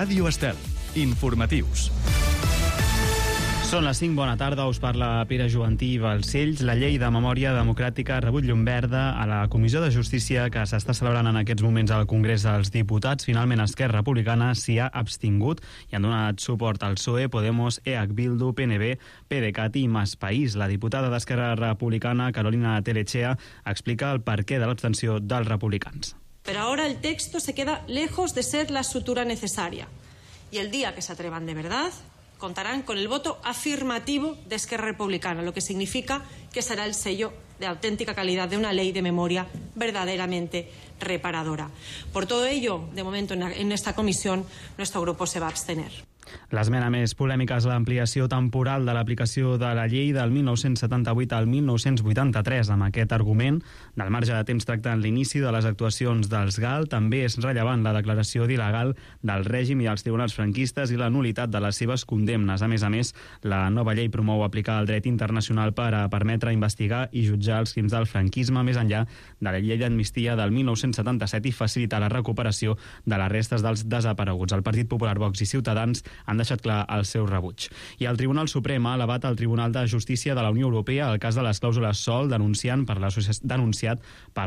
Ràdio Estel. Informatius. Són les 5, bona tarda, us parla Pere Jovantí Balcells. La llei de memòria democràtica ha rebut llum verda a la Comissió de Justícia que s'està celebrant en aquests moments al Congrés dels Diputats. Finalment, Esquerra Republicana s'hi ha abstingut i han donat suport al PSOE, Podemos, EH Bildu, PNB, PDeCAT i Más País. La diputada d'Esquerra Republicana, Carolina Telechea, explica el perquè de l'abstenció dels republicans. Pero ahora el texto se queda lejos de ser la sutura necesaria. Y el día que se atrevan de verdad, contarán con el voto afirmativo de Esquerra Republicana, lo que significa que será el sello de auténtica calidad de una ley de memoria verdaderamente reparadora. Por todo ello, de momento en esta comisión, nuestro grupo se va a abstener. L'esmena més polèmica és l'ampliació temporal de l'aplicació de la llei del 1978 al 1983. Amb aquest argument, del marge de temps tractant l'inici de les actuacions dels GAL, també és rellevant la declaració d'il·legal del règim i els tribunals franquistes i la nul·litat de les seves condemnes. A més, la nova llei promou aplicar el dret internacional per a permetre investigar i jutjar els crims del franquisme més enllà de la llei d'amnistia del 1977 i facilitar la recuperació de les restes dels desapareguts. El Partit Popular, Vox i Ciutadans han deixat clar el seu rebuig. I el Tribunal Suprem ha elevat al Tribunal de Justícia de la Unió Europea el cas de les clàusules SOL denunciat per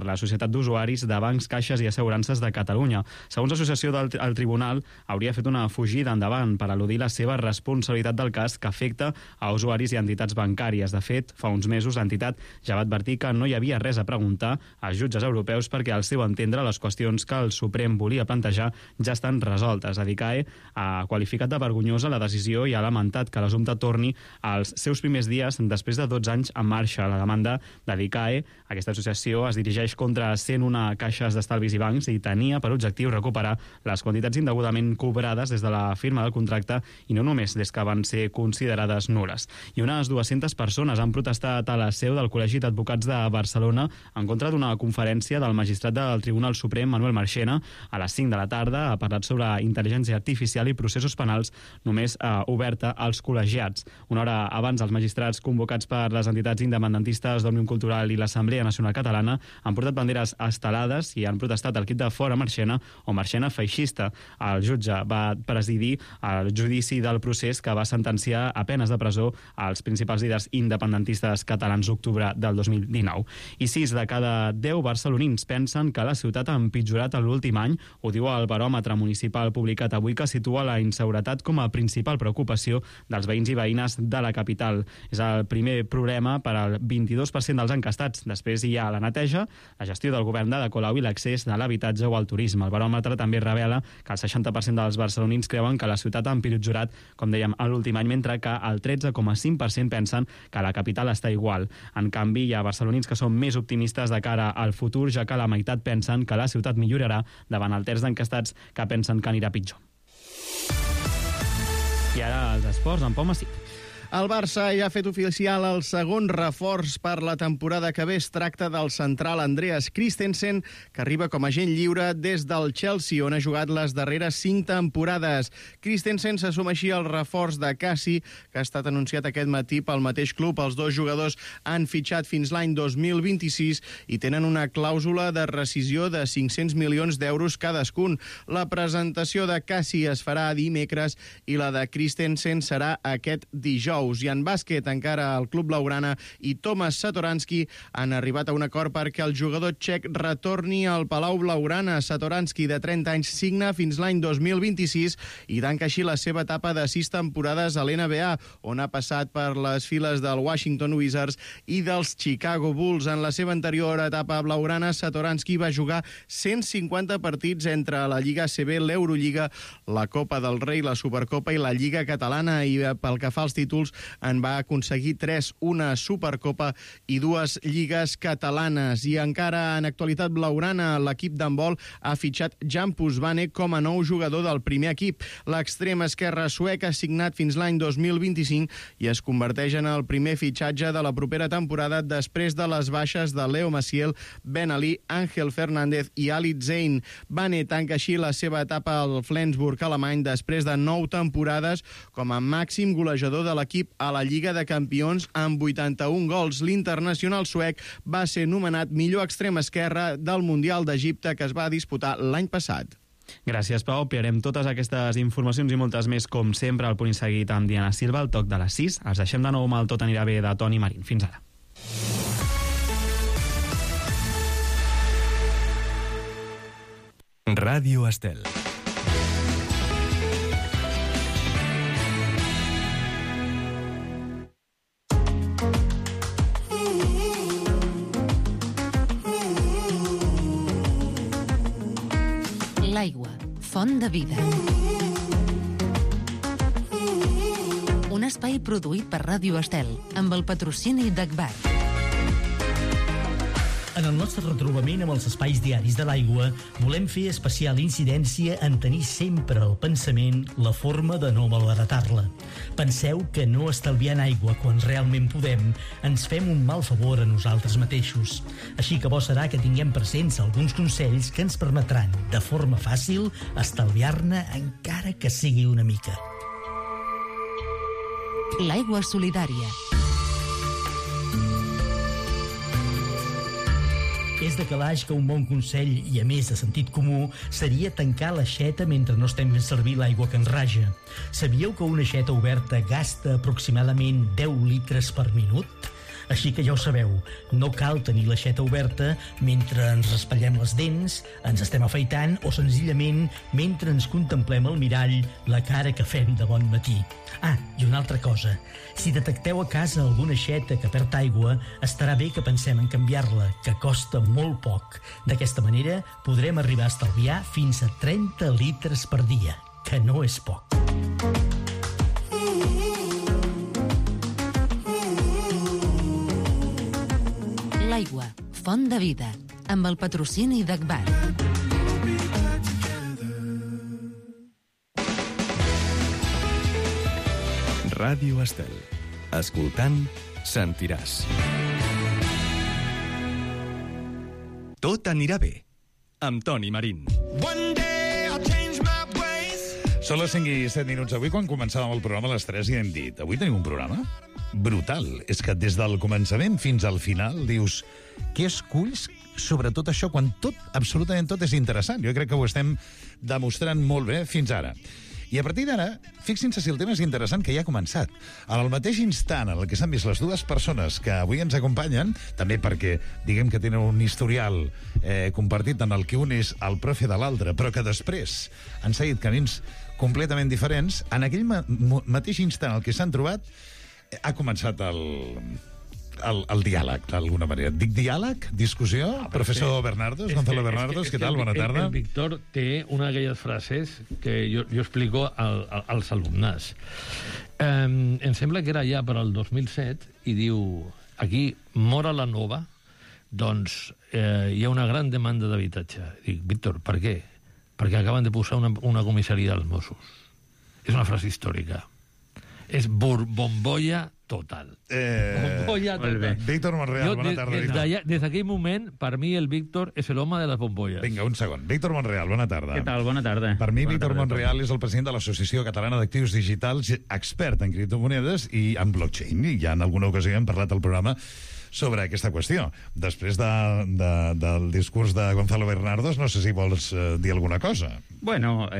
la Societat d'Usuaris de Bancs, Caixes i Assegurances de Catalunya. Segons l'associació del Tribunal, hauria fet una fugida endavant per al·ludir la seva responsabilitat del cas que afecta a usuaris i entitats bancàries. De fet, fa uns mesos l'entitat ja va advertir que no hi havia res a preguntar als jutges europeus perquè al seu entendre les qüestions que el Suprem volia plantejar ja estan resoltes. Adicae ha qualificat de vergonyosa la decisió i ha lamentat que l'assumpte torni als seus primers dies després de 12 anys en marxa. La demanda d'Adicae, aquesta associació, es dirigeix contra 101 caixes d'estalvis i bancs i tenia per objectiu recuperar les quantitats indegudament cobrades des de la firma del contracte i no només des que van ser considerades nules. I unes 200 persones han protestat a la seu del Col·legi d'Advocats de Barcelona en contra d'una conferència del magistrat del Tribunal Suprem, Manuel Marchena. A les 5 de la tarda ha parlat sobre intel·ligència artificial i processos penals només oberta als col·legiats. Una hora abans, els magistrats convocats per les entitats independentistes d'Òmnium Cultural i l'Assemblea Nacional Catalana han portat banderes estelades i han protestat el crit de fora Marchena o Marchena feixista. El jutge va presidir el judici del procés que va sentenciar a penes de presó als principals líders independentistes catalans d'octubre del 2019. I 6 de cada 10 barcelonins pensen que la ciutat ha empitjorat en l'últim any. Ho diu el baròmetre municipal publicat avui, que situa la inseguretat com a principal preocupació dels veïns i veïnes de la capital. És el primer problema per al 22% dels encastats. Després hi ha la neteja, la gestió del govern d'Ada Colau i l'accés de l'habitatge o al turisme. El baròmetre també revela que el 60% dels barcelonins creuen que la ciutat ha empitjorat, com dèiem, en l'últim any, mentre que el 13,5% pensen que la capital està igual. En canvi, hi ha barcelonins que són més optimistes de cara al futur, ja que la meitat pensen que la ciutat millorarà davant el terç d'encastats que pensen que anirà pitjor. I ara els esports, en Pau Massip. El Barça ja ha fet oficial el segon reforç per la temporada que ve. Es tracta del central Andreas Christensen, que arriba com a agent lliure des del Chelsea, on ha jugat les darreres 5 temporades. Christensen se suma així al reforç de Cassi, que ha estat anunciat aquest matí pel mateix club. Els dos jugadors han fitxat fins l'any 2026 i tenen una clàusula de rescisió de 500 milions d'euros cadascun. La presentació de Cassi es farà dimecres i la de Christensen serà aquest dijous. I en bàsquet, encara el club blaugrana i Tomas Satoranski han arribat a un acord perquè el jugador txec retorni al Palau Blaugrana. Satoranski, de 30 anys, signa fins l'any 2026 i tanca així la seva etapa de 6 temporades a l'NBA, on ha passat per les files del Washington Wizards i dels Chicago Bulls. En la seva anterior etapa blaugrana, Satoranski va jugar 150 partits entre la Lliga ACB, l'Eurolliga, la Copa del Rei, la Supercopa i la Lliga Catalana, i pel que fa als títols en va aconseguir 3, una Supercopa i 2 lligues catalanes. I encara en actualitat blaugrana, l'equip d'handbol ha fitxat Jan Pusbane com a nou jugador del primer equip. L'extrem esquerre suec ha signat fins l'any 2025 i es converteix en el primer fitxatge de la propera temporada després de les baixes de Leo Maciel, Ben Ali, Ángel Fernández i Ali Zayn. Bane tanca així la seva etapa al Flensburg alemany després de 9 temporades com a màxim golejador de l'equip a la Lliga de Campions amb 81 gols. L'internacional suec va ser nomenat millor extrem esquerre del Mundial d'Egipte que es va disputar l'any passat. Gràcies, Pau. Ampliarem totes aquestes informacions i moltes més, com sempre, al Punt i Seguit amb Diana Silva, al toc de les 6. Els deixem de nou amb el Tot anirà bé de Toni Marín. Fins ara. Ràdio Estel. L'aigua, font de vida. Un espai produït per Ràdio Estel, amb el patrocini d'Agbar. En el nostre retrobament amb els espais diaris de l'aigua, volem fer especial incidència en tenir sempre al pensament la forma de no malbaratar-la. Penseu que no estalviant aigua quan realment podem ens fem un mal favor a nosaltres mateixos. Així que bo serà que tinguem presents alguns consells que ens permetran, de forma fàcil, estalviar-ne encara que sigui una mica. L'aigua solidària. És de calaix que un bon consell, i a més de sentit comú, seria tancar l'aixeta mentre no estem fent servir l'aigua que ens raja. Sabíeu que una aixeta oberta gasta aproximadament 10 litres per minut? Així que ja ho sabeu, no cal tenir l'aixeta oberta mentre ens raspallem les dents, ens estem afaitant o senzillament mentre ens contemplem al mirall la cara que fem de bon matí. Ah, i una altra cosa. Si detecteu a casa alguna aixeta que perd aigua, estarà bé que pensem en canviar-la, que costa molt poc. D'aquesta manera podrem arribar a estalviar fins a 30 litres per dia, que no és poc. L'aigua, font de vida, amb el patrocini d'Agbar. Ràdio Estel. Escoltant, sentiràs. Tot anirà bé, amb Toni Marín. Són les 5 i 7 minuts. Avui, quan començàvem el programa a les 3, ja hem dit, avui tenim un programa brutal. És que des del començament fins al final dius, què esculls sobre tot això, quan tot, absolutament tot, és interessant? Jo crec que ho estem demostrant molt bé fins ara. I a partir d'ara, fixin-se si el tema és interessant, que ja ha començat. En el mateix instant en el que s'han vist les dues persones que avui ens acompanyen, també perquè diguem que tenen un historial compartit en el que un és el profe de l'altre, però que després han seguit camins completament diferents, en aquell mateix instant en el que s'han trobat, ha començat el diàleg, d'alguna manera. Dic diàleg? Discussió? Professor Bernardos, Gonzalo Bernardos, què tal? Bona tarda. El Víctor té una d'aquelles frases que jo explico als alumnes. Em sembla que era ja per al 2007 i diu, aquí, Mora la Nova, doncs hi ha una gran demanda d'habitatge. Dic, Víctor, per què? Perquè acaben de posar una comissaria dels Mossos. És una frase històrica. És bombolla total. Bombolla total. Víctor Monreal, bona tarda. Des d'aquell moment, per mi, el Víctor és l'home de les bombolles. Vinga, un segon. Víctor Monreal, bona tarda. Què tal? Bona tarda. Per mi, Víctor Monreal és el president de l'Associació Catalana d'Actius Digitals, expert en criptomonedes i en blockchain. I ja en alguna ocasió hem parlat al programa sobre aquesta qüestió. Després del discurs de Gonzalo Bernardos, no sé si vols dir alguna cosa. Bueno,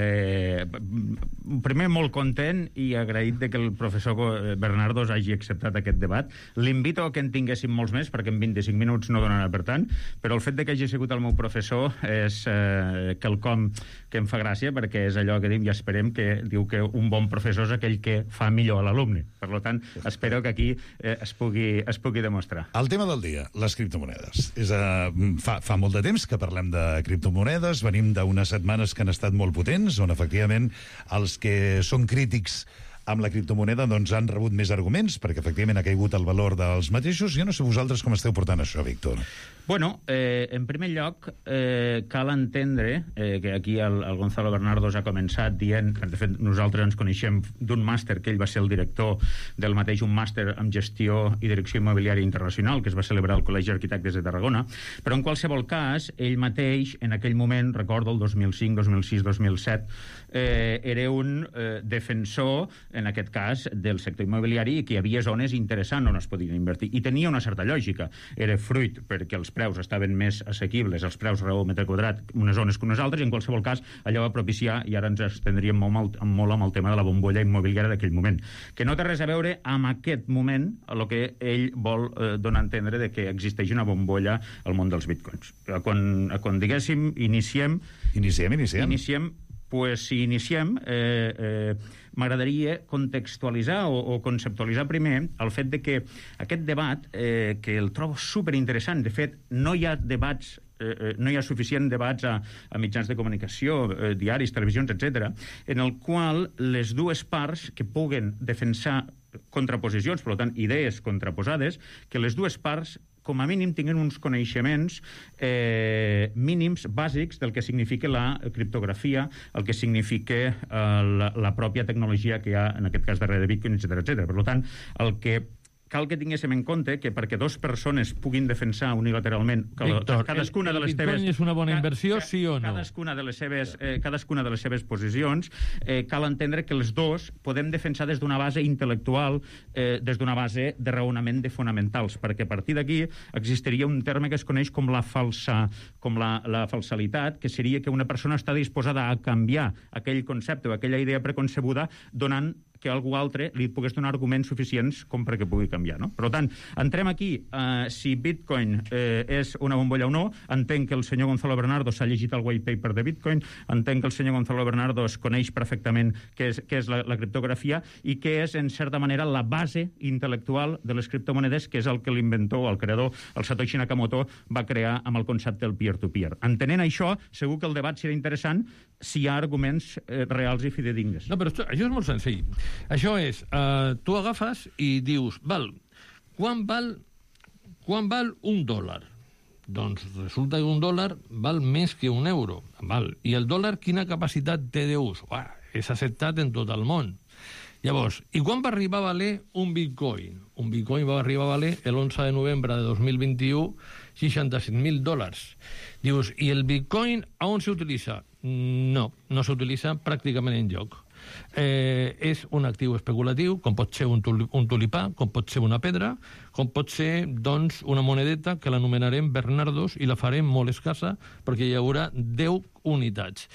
primer molt content i agraït de que el professor Bernardos hagi acceptat aquest debat. L'invito a que en tinguéssim molts més, perquè en 25 minuts no donarà per tant, però el fet de que hagi sigut el meu professor és quelcom que em fa gràcia, perquè és allò que diu i esperem que diu que un bon professor és aquell que fa millor a l'alumne. Per tant, espero que aquí es pugui demostrar. El tema del dia, les criptomonedes. Fa molt de temps que parlem de criptomonedes, venim d'unes setmanes que han estat molt potents, on efectivament els que són crítics amb la criptomoneda doncs han rebut més arguments, perquè efectivament ha caigut el valor dels mateixos. Jo no sé vosaltres com esteu portant això, Víctor. Bueno, en primer lloc, cal entendre que aquí el Gonzalo Bernardos ha començat dient, de fet nosaltres ens coneixem d'un màster que ell va ser el director del mateix, un màster en gestió i direcció immobiliària internacional que es va celebrar al Col·legi d'Arquitectes de Tarragona, però en qualsevol cas, ell mateix en aquell moment, recordo el 2005, 2006, 2007, era un defensor, en aquest cas, del sector immobiliari i que hi havia zones interessants on es podien invertir. I tenia una certa lògica. Era fruit perquè els preus estaven més assequibles, els preus raó metre quadrat, unes zones que unes altres, i en qualsevol cas allò va propiciar, i ara ens estendríem molt amb el tema de la bombolla immobiliària d'aquell moment, que no té res a veure amb aquest moment a lo que ell vol donar a entendre de que existeix una bombolla al món dels bitcoins. Quan diguéssim, iniciem, pues, si iniciem, m'agradaria contextualitzar o conceptualitzar primer el fet de que aquest debat, que el trobo superinteressant, de fet, no hi ha debats no hi ha suficient debats a mitjans de comunicació, diaris, televisions, etc., en el qual les dues parts que puguen defensar contraposicions, per tant, idees contraposades, que les dues parts com a mínim tinguin uns coneixements mínims, bàsics, del que significa la criptografia, el que significa la pròpia tecnologia que hi ha, en aquest cas, darrere de Bitcoin, etc. Per tant, el que cal que tinguéssim en compte que perquè dues persones puguin defensar unilateralment cadascuna de les seves... Bitcoin és una bona inversió, sí o no? Cadascuna de les seves posicions, cal entendre que les dos podem defensar des d'una base intel·lectual, des d'una base de raonament de fonamentals, perquè a partir d'aquí existiria un terme que es coneix com la falsalitat, que seria que una persona està disposada a canviar aquell concepte o aquella idea preconcebuda donant que algú altre li pogués donar arguments suficients com perquè pugui canviar, no? Per tant, entrem aquí si Bitcoin és una bombolla o no. Entenc que el senyor Gonzalo Bernardo s'ha llegit el white paper de Bitcoin, entenc que el senyor Gonzalo Bernardo es coneix perfectament què és la criptografia i què és, en certa manera, la base intel·lectual de les criptomonedes, que és el que l'inventor, el creador, el Satoshi Nakamoto, va crear amb el concepte del peer-to-peer. Entenent això, segur que el debat serà interessant si hi ha arguments reals i fidedignes. No, però això és molt senzill. Això és, tu agafes i dius, quan val $1? Doncs resulta que $1 val més que €1. I el dòlar quina capacitat té d'ús? És acceptat en tot el món. Llavors, i quan va arribar a valer un bitcoin? Un bitcoin va arribar a valer l'11 de novembre de 2021 $65.000. Dius, i el bitcoin a on s'utilitza? No s'utilitza pràcticament enlloc. És un actiu especulatiu, com pot ser un tulipà, com pot ser una pedra, com pot ser, doncs, una monedeta que l'anomenarem Bernardos i la farem molt escassa perquè hi haurà 10 unitats.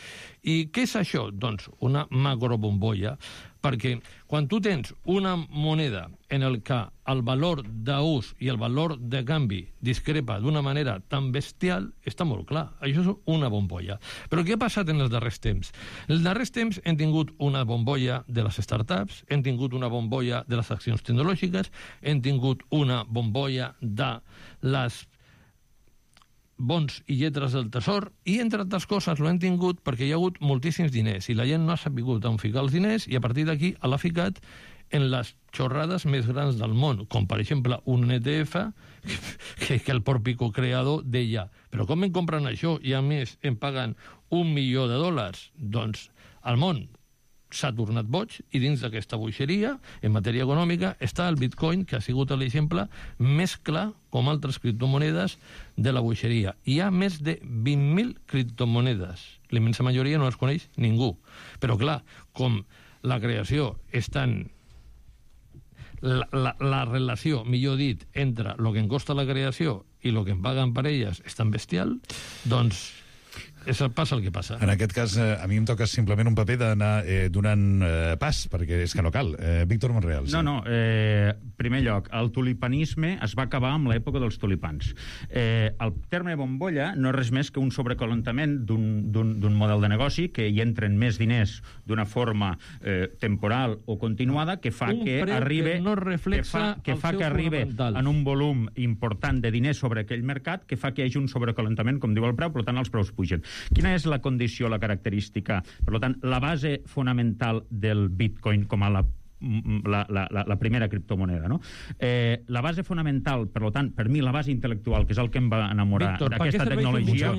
I què és això? Doncs una macrobombolla, perquè quan tu tens una moneda en el que el valor d'ús i el valor de canvi discrepa d'una manera tan bestial, està molt clar. Això és una bombolla. Però què ha passat en els darrers temps? En els darrers temps hem tingut una bombolla de les startups, hem tingut una bombolla de les accions tecnològiques, hem tingut una bombolla de les bons i lletres del tesor, i entre altres coses l'hem tingut perquè hi ha hagut moltíssims diners i la gent no ha sabut on ficar els diners i a partir d'aquí l'ha ficat en les xorrades més grans del món, com per exemple un ETF que el propi creador deia, però com em compren això i a més em paguen $1 milió? Doncs el món s'ha tornat boig i dins d'aquesta boixeria, en matèria econòmica, està el Bitcoin, que ha sigut l'exemple més clar, com altres criptomonedes, de la boixeria. Hi ha més de 20.000 criptomonedes. La immensa majoria no les coneix ningú. Però, clar, com la creació és tan... La relació, millor dit, entre el que em costa la creació i el que em paguen per elles és tan bestial, doncs... passa el que passa. En aquest cas, a mi em toca simplement un paper d'anar donant pas, perquè és que no cal. Víctor Monreal. Sí. No, primer lloc, el tulipanisme es va acabar amb l'època dels tulipans. El terme bombolla no és res més que un sobrecalentament d'un model de negoci que hi entren més diners d'una forma temporal o continuada que fa que arribi en un volum important de diners sobre aquell mercat que fa que hi hagi un sobrecalentament, com diu el preu, per tant els preus pugen. Quina és la condició, la característica? Per tant, la base fonamental del Bitcoin com a la primera criptomoneda, no? La base fonamental, per tant, per mi, la base intel·lectual, que és el que em va enamorar d'aquesta tecnologia,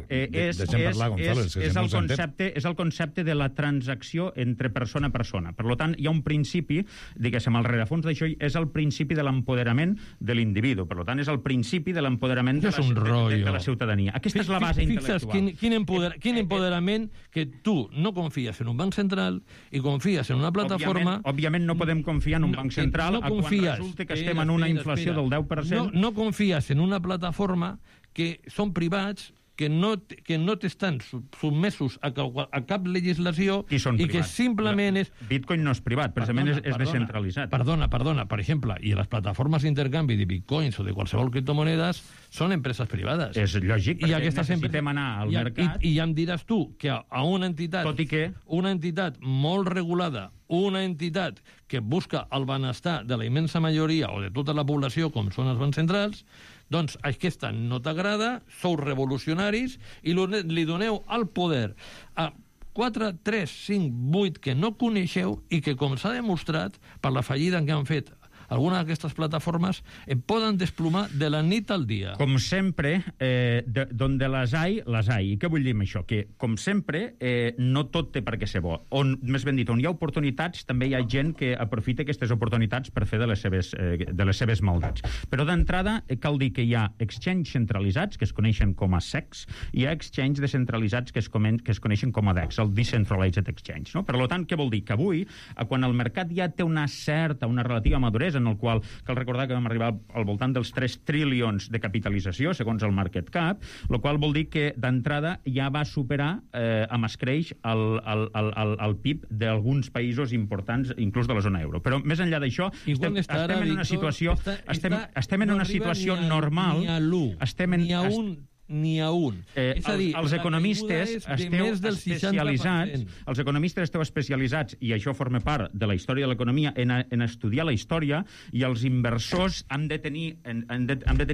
és el concepte de la transacció entre persona a persona. Per tant, hi ha un principi, diguéssim, al rerefons d'això, és el principi de l'empoderament de l'individu. Per tant, és el principi de l'empoderament de la ciutadania. Aquesta és la base intel·lectual. Quin empoderament que tu no confies en un banc central i confies en una plataforma òbviament no podem confiar en un banc central quan resulta que estem en una inflació del 10%. No confies en una plataforma que són privats, que no t'estan sotmesos a cap legislació i que simplement és... Bitcoin no és privat, precisament és descentralitzat. Perdona, per exemple, i les plataformes d'intercanvi de bitcoins o de qualsevol criptomonedes són empreses privades. És lògic, perquè necessitem anar al mercat. I ja em diràs tu que a una entitat... Tot i que... Una entitat molt regulada, una entitat que busca el benestar de la immensa majoria o de tota la població, com són els bancs centrals, doncs aquesta no t'agrada, sou revolucionaris i li doneu el poder a 4, 3, 5, 8 que no coneixeu i que, com s'ha demostrat per la fallida que han fet algunes d'aquestes plataformes, poden desplomar de la nit al dia. Com sempre, donde las hay. I què vull dir amb això? Que, com sempre, no tot té per què ser bo. Més ben dit, on hi ha oportunitats, també hi ha gent que aprofita aquestes oportunitats per fer de les seves maldats. Però d'entrada, cal dir que hi ha exchange centralitzats, que es coneixen com a SECs, i hi ha exchange descentralitzats, que es coneixen com a DEX, el Decentralized Exchange. No? Per tant, què vol dir? Que avui, quan el mercat ja té una relativa maduresa, en el qual cal recordar que vam arribar al voltant dels 3 trilions de capitalització, segons el market cap, el qual vol dir que d'entrada ja va superar amb escreix el PIB d'alguns països importants, inclús de la zona euro. Però més enllà d'això, estem en una situació normal. Ni a un. És a dir, els economistes esteu especialitzats, i això forma part de la història de l'economia, en estudiar la història, i els inversors han de tenir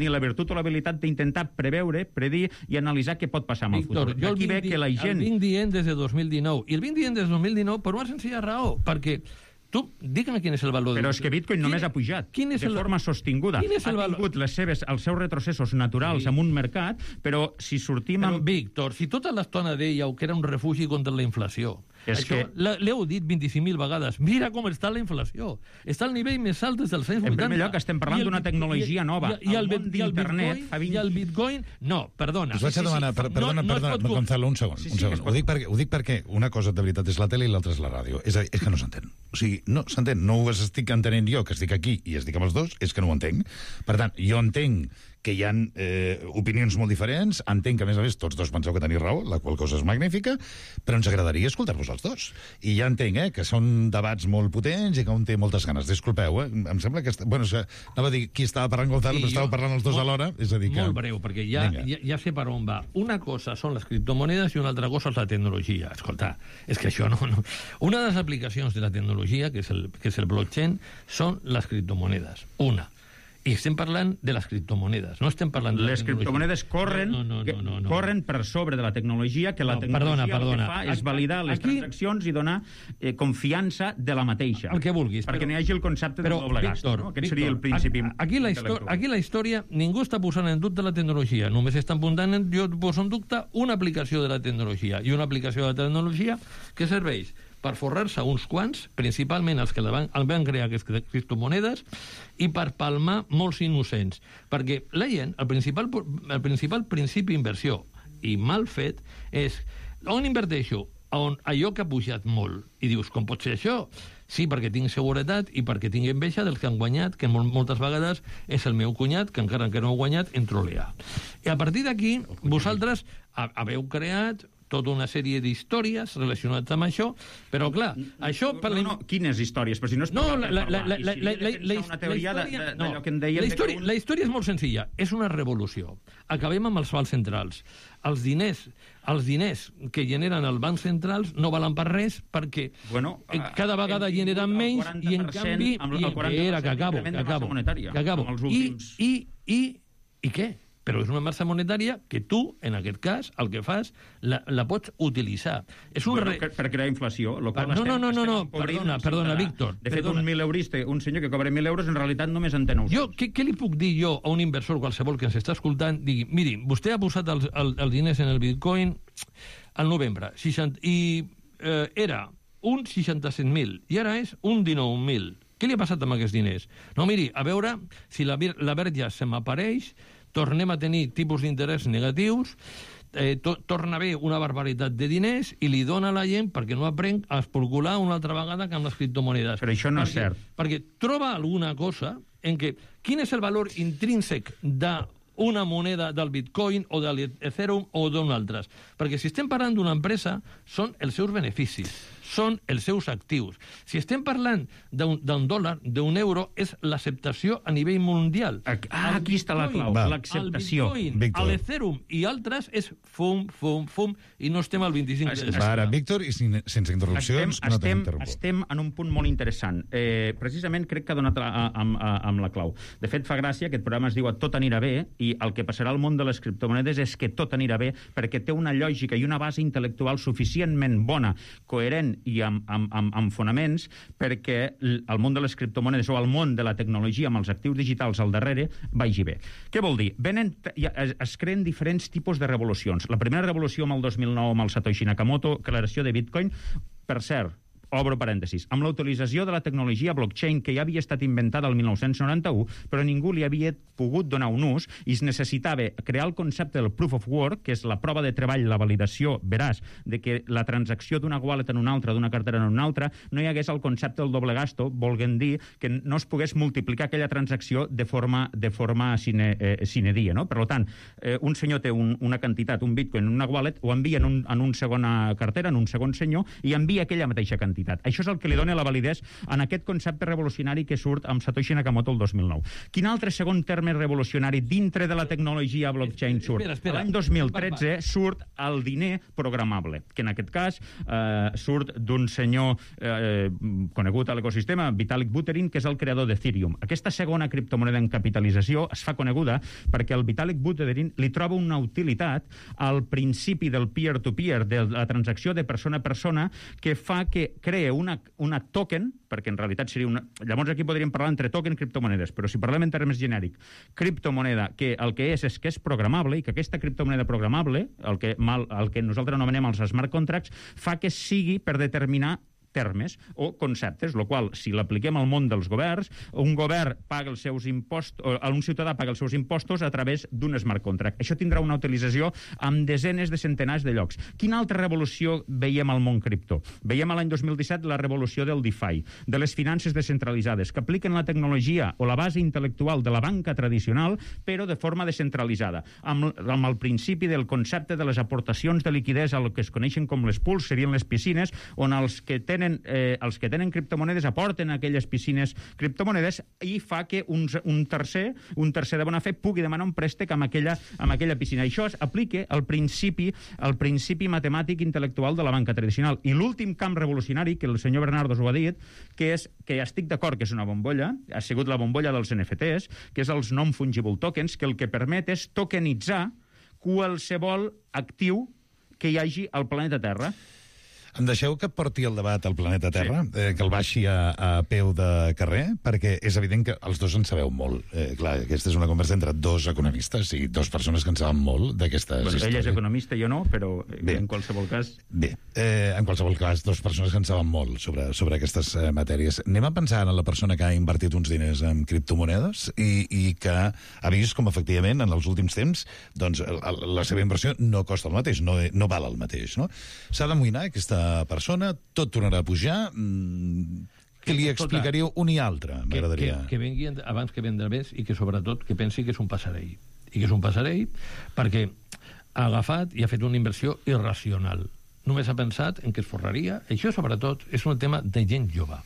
la virtut o l'habilitat d'intentar preveure, predir i analitzar què pot passar amb el futur. Aquí ve que la gent... El vinc dient des de 2019, i el vinc dient des de 2019 per una senzilla raó, perquè tu, digue'm quin és el valor... Però és que Bitcoin només ha pujat de forma sostinguda. Ha tingut els seus retrocessos naturals en un mercat, però si sortim amb... Però, Víctor, si tota l'estona dèieu que era un refugi contra la inflació, l'heu dit 25.000 vegades, mira com està la inflació. Està al nivell més alt des dels anys 80. En primer lloc, estem parlant d'una tecnologia nova. El món d'internet... I el Bitcoin... No, perdona. Us vaig a demanar, perdona, Gonzalo, un segon. Ho dic perquè una cosa de veritat és la tele i l'altra és la ràdio. És a dir, és que no s'entén. O sigui, no s'entén. No ho estic entenent jo, que estic aquí i estic amb els dos, és que no ho entenc. Per tant, jo entenc que hi ha opinions molt diferents, entenc que, a més, tots dos penseu que teniu raó, la qual cosa és magnífica, però ens agradaria escoltar-vos els dos. I ja entenc que són debats molt potents i que un té moltes ganes. Disculpeu, em sembla que... Bueno, anava a dir qui estava parlant Gonzalo, però estava parlant els dos alhora. És a dir que... Molt breu, perquè ja sé per on va. Una cosa són les criptomonedes i una altra cosa és la tecnologia. Escolta, és que això no... Una de les aplicacions de la tecnologia, que és el blockchain, són les criptomonedes. Una. I estem parlant de les criptomonedes, no estem parlant de les criptomonedes corren per sobre de la tecnologia, que la tecnologia el que fa és validar les transaccions i donar confiança de la mateixa. El que vulguis. Perquè no hi hagi el concepte de doble gast. Aquest seria el principi. Aquí la història, ningú està posant en dubte la tecnologia, només estan posant en dubte una aplicació de la tecnologia, i una aplicació de la tecnologia que serveix per forrar-se uns quants, principalment els que van crear aquestes criptomonedes, i per palmar molts innocents. Perquè la gent, el principal principi d'inversió, i mal fet, és on inverteixo? Allò que ha pujat molt. I dius, com pot ser això? Sí, perquè tinc seguretat i perquè tinc enveja dels que han guanyat, que moltes vegades és el meu cunyat, que encara que no ha guanyat, en trolea. I a partir d'aquí, vosaltres haveu creat tota una sèrie d'històries relacionades amb això, però clar, això... Quines històries? Però si no és la història és molt senzilla, és una revolució. Acabem amb els bancs centrals. Els diners que generen els bancs centrals no valen per res perquè cada vegada generen menys i en canvi... Acabo. I què? Però és una massa monetària que tu, en aquest cas, el que fas, la pots utilitzar. Per crear inflació. No, perdona, Víctor. De fet, un 1.000eurista, un senyor que cobra 1.000 euros, en realitat només en té 900. Què li puc dir jo a un inversor qualsevol que ens està escoltant? Digui, miri, vostè ha posat els diners en el Bitcoin al novembre, i era un 67.000, i ara és un 19.000. Què li ha passat amb aquests diners? No, miri, a veure si la verge se m'apareix, tornem a tenir tipus d'interès negatius, torna a haver una barbaritat de diners i li dona a la gent perquè no aprenc a especular una altra vegada que amb les criptomonedes. Però això no és cert. Perquè troba alguna cosa en què... Quin és el valor intrínsec d'una moneda del Bitcoin o de l'Ethereum o d'un altre? Perquè si estem parlant d'una empresa, són els seus beneficis, són els seus actius. Si estem parlant d'un dòlar, d'un euro, és l'acceptació a nivell mundial. Aquí està la clau, l'acceptació. El Bitcoin, l'Ethereum i altres és fum, i no estem al 25%. Ara, Víctor, i sense interrupcions, no tenim interrupció. Estem en un punt molt interessant. Precisament crec que ha donat amb la clau. De fet, fa gràcia, aquest programa es diu Tot anirà bé, i el que passarà al món de les criptomonedes és que tot anirà bé, perquè té una lògica i una base intel·lectual suficientment bona, coherent i amb fonaments, perquè el món de les criptomonedes o el món de la tecnologia amb els actius digitals al darrere vagi bé. Què vol dir? Es creen diferents tipus de revolucions. La primera revolució amb el 2009 amb el Satoshi Nakamoto, creació de Bitcoin, per cert, obro parèntesis, amb la utilització de la tecnologia blockchain que ja havia estat inventada el 1991, però ningú li havia pogut donar un ús i es necessitava crear el concepte del proof of work, que és la prova de treball, la validació veraç de que la transacció d'una wallet en una altra, d'una cartera en una altra, no hi hagués el concepte del doble gasto, volent dir que no es pogués multiplicar aquella transacció de forma sine die, no? Per tant, un senyor té una quantitat, un bitcoin en una wallet, ho envia en una segona cartera, en un segon senyor, i envia aquella mateixa quantitat. Això és el que li dona la validesa en aquest concepte revolucionari que surt amb Satoshi Nakamoto el 2009. Quin altre segon terme revolucionari dintre de la tecnologia blockchain surt? L'any 2013 surt el diner programable, que en aquest cas surt d'un senyor conegut a l'ecosistema, Vitalik Buterin, que és el creador d'Ethereum. Aquesta segona criptomoneda en capitalització es fa coneguda perquè el Vitalik Buterin li troba una utilitat al principi del peer-to-peer, de la transacció de persona a persona, que fa que crea una token, perquè en realitat seria una... Llavors aquí podríem parlar entre token i criptomonedes, però si parlem en termes genèrics, criptomoneda, que el que és que és programable, i que aquesta criptomoneda programable, el que nosaltres anomenem els smart contracts, fa que sigui per determinar termes o conceptes, el qual, si l'apliquem al món dels governs, un govern paga els seus impostos, un ciutadà paga els seus impostos a través d'un smart contract. Això tindrà una utilització amb desenes de centenars de llocs. Quina altra revolució veiem al món cripto? Veiem l'any 2017 la revolució del DeFi, de les finances descentralitzades, que apliquen la tecnologia o la base intel·lectual de la banca tradicional, però de forma descentralitzada, amb el principi del concepte de les aportacions de liquiditat al que es coneixen com les pools, serien les piscines, on els que tenen criptomonedes aporten a aquelles piscines criptomonedes i fa que un tercer de bona fe pugui demanar un préstec amb aquella piscina. Això es aplica al principi matemàtic intel·lectual de la banca tradicional. I l'últim camp revolucionari, que el senyor Bernardo ho ha dit, que és que estic d'acord que és una bombolla, ha sigut la bombolla dels NFTs, que és els non-fungible tokens, que el que permet és tokenitzar qualsevol actiu que hi hagi al planeta Terra. Em deixeu que porti el debat al planeta Terra, que el baixi a peu de carrer, perquè és evident que els dos en sabeu molt. Clar, aquesta és una conversa entre dos economistes i dues persones que en saben molt d'aquestes històries. Ell és economista, jo no, però en qualsevol cas... Bé, en qualsevol cas, dues persones que en saben molt sobre aquestes matèries. Anem a pensar en la persona que ha invertit uns diners en criptomonedes i que ha vist com, efectivament, en els últims temps, doncs, la seva inversió no costa el mateix, no val el mateix, no? S'ha d'amoïnar aquesta persona, tot tornarà a pujar. Què li explicaríeu un i altre, m'agradaria? Que vengui abans que vendre més i que, sobretot, que pensi que és un passarell. I que és un passarell perquè ha agafat i ha fet una inversió irracional. Només ha pensat en que es forraria. Això, sobretot, és un tema de gent jove.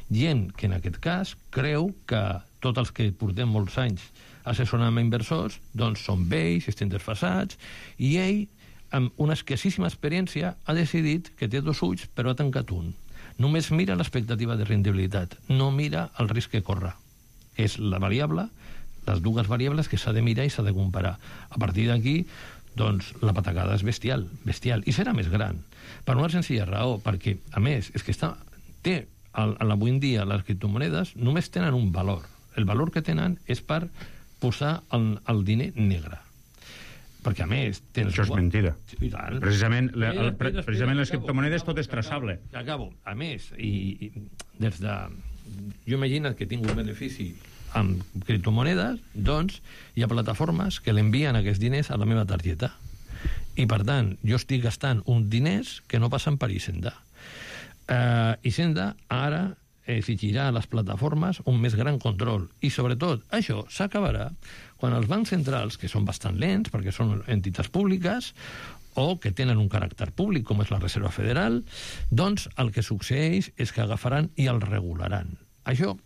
Gent que, en aquest cas, creu que tots els que portem molts anys assessorant inversors, doncs són vells, estem desfasats, i ell, amb una escassíssima experiència, ha decidit que té dos ulls, però ha tancat un. Només mira l'expectativa de rendibilitat, no mira el risc que corre. És la variable, les dues variables que s'ha de mirar i s'ha de comparar. A partir d'aquí, doncs, la patacada és bestial, i serà més gran. Per una senzilla raó, perquè, a més, és que avui en dia les criptomonedes només tenen un valor. El valor que tenen és per posar el diner negre. Perquè, a més... Això és mentida. Precisament les criptomonedes tot és traçable. Acabo. A més, i des de... Jo imagino que tinc un benefici amb criptomonedes, doncs hi ha plataformes que l'envien aquests diners a la meva targeta. I, per tant, jo estic gastant uns diners que no passen per Hisenda. Hisenda ara exigirà a les plataformes un més gran control. I, sobretot, això s'acabarà quan els bancs centrals, que són bastant lents, perquè són entitats públiques, o que tenen un caràcter públic, com és la Reserva Federal, doncs el que succeeix és que agafaran i el regularan. Això,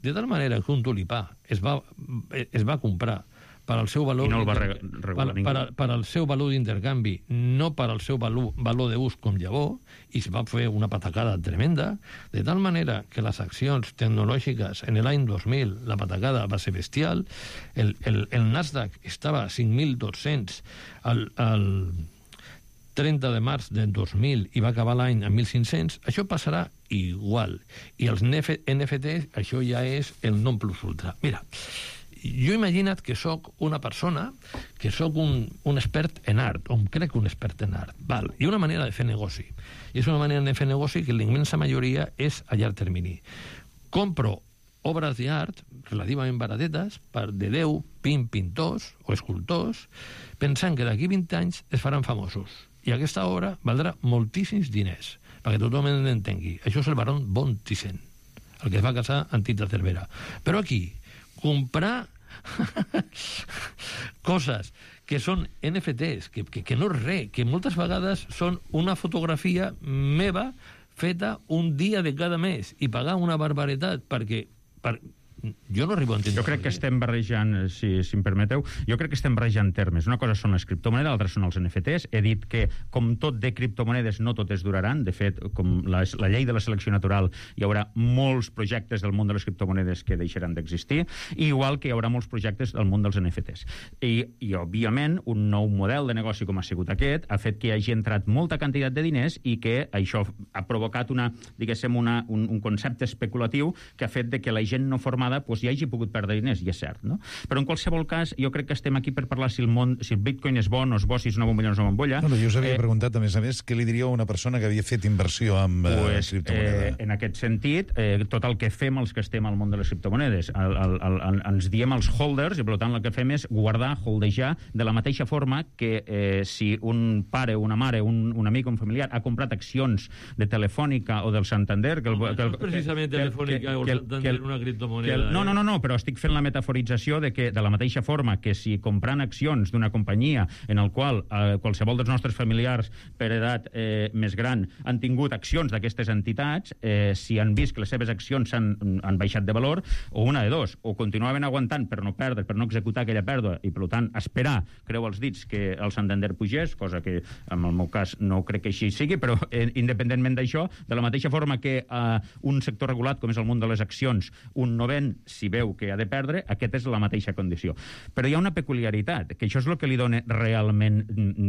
de tal manera que un tulipà es va comprar per al seu valor, i no el va regular ningú. Per al seu valor d'intercanvi, no per al seu valor d'ús com llavor, i es va fer una patacada tremenda, de tal manera que les accions tecnològiques en l'any 2000, la patacada va ser bestial, el Nasdaq estava a 5.200 al 30 de març del 2000 i va acabar l'any a 1.500, això passarà igual. I els NFTs, això ja és el non plus ultra. Mira, jo imagina't que sóc una persona, que sóc un expert en art, o em crec un expert en art. Val? I una manera de fer negoci. I és una manera de fer negoci que la immensa majoria és a llarg termini. Compro obres d'art relativament baratetes de 10, 20 pintors o escultors, pensant que d'aquí 20 anys es faran famosos. I aquesta obra valdrà moltíssims diners, perquè tothom entengui. Això és el baron von Thyssen, el que es va casar amb Tita Cervera. Però aquí, comprar coses que són NFTs, que no és res, que moltes vegades són una fotografia meva feta un dia de cada mes i pagar una barbaritat perquè jo no arribo a entendre. Jo crec que estem barrejant, si em permeteu, jo crec que estem barrejant termes. Una cosa són les criptomonedes, l'altra són els NFTs. He dit que, com tot de criptomonedes, no totes duraran. De fet, com la llei de la selecció natural, hi haurà molts projectes del món de les criptomonedes que deixaran d'existir, igual que hi haurà molts projectes del món dels NFTs. I òbviament, un nou model de negoci com ha sigut aquest ha fet que hi hagi entrat molta quantitat de diners i que això ha provocat un concepte especulatiu que ha fet que la gent no formada hi hagi pogut perdre diners, i és cert, no? Però en qualsevol cas, jo crec que estem aquí per parlar si el Bitcoin és bo o no és bo, si és una bombolla o no és una bombolla. No, jo us havia preguntat, a més, què li diríeu a una persona que havia fet inversió amb criptomoneda? En aquest sentit, tot el que fem els que estem al món de les criptomonedes, ens diem els holders, i per tant el que fem és guardar, holdejar, de la mateixa forma que si un pare, una mare, un amic o un familiar ha comprat accions de Telefònica o del Santander... No és precisament Telefònica o Santander una criptomoneda. No, però estic fent la metaforització de la mateixa forma que si comprant accions d'una companyia en el qual qualsevol dels nostres familiars per edat més gran han tingut accions d'aquestes entitats, si han vist que les seves accions han baixat de valor, o una de dos, o continuaven aguantant per no perdre, per no executar aquella pèrdua, i per tant esperar, creu els dits, que el Santander pugés, cosa que en el meu cas no crec que així sigui, però independentment d'això, de la mateixa forma que un sector regulat com és el món de les accions, un no ven si veu que ha de perdre, aquesta és la mateixa condició. Però hi ha una peculiaritat, que això és el que li dona realment,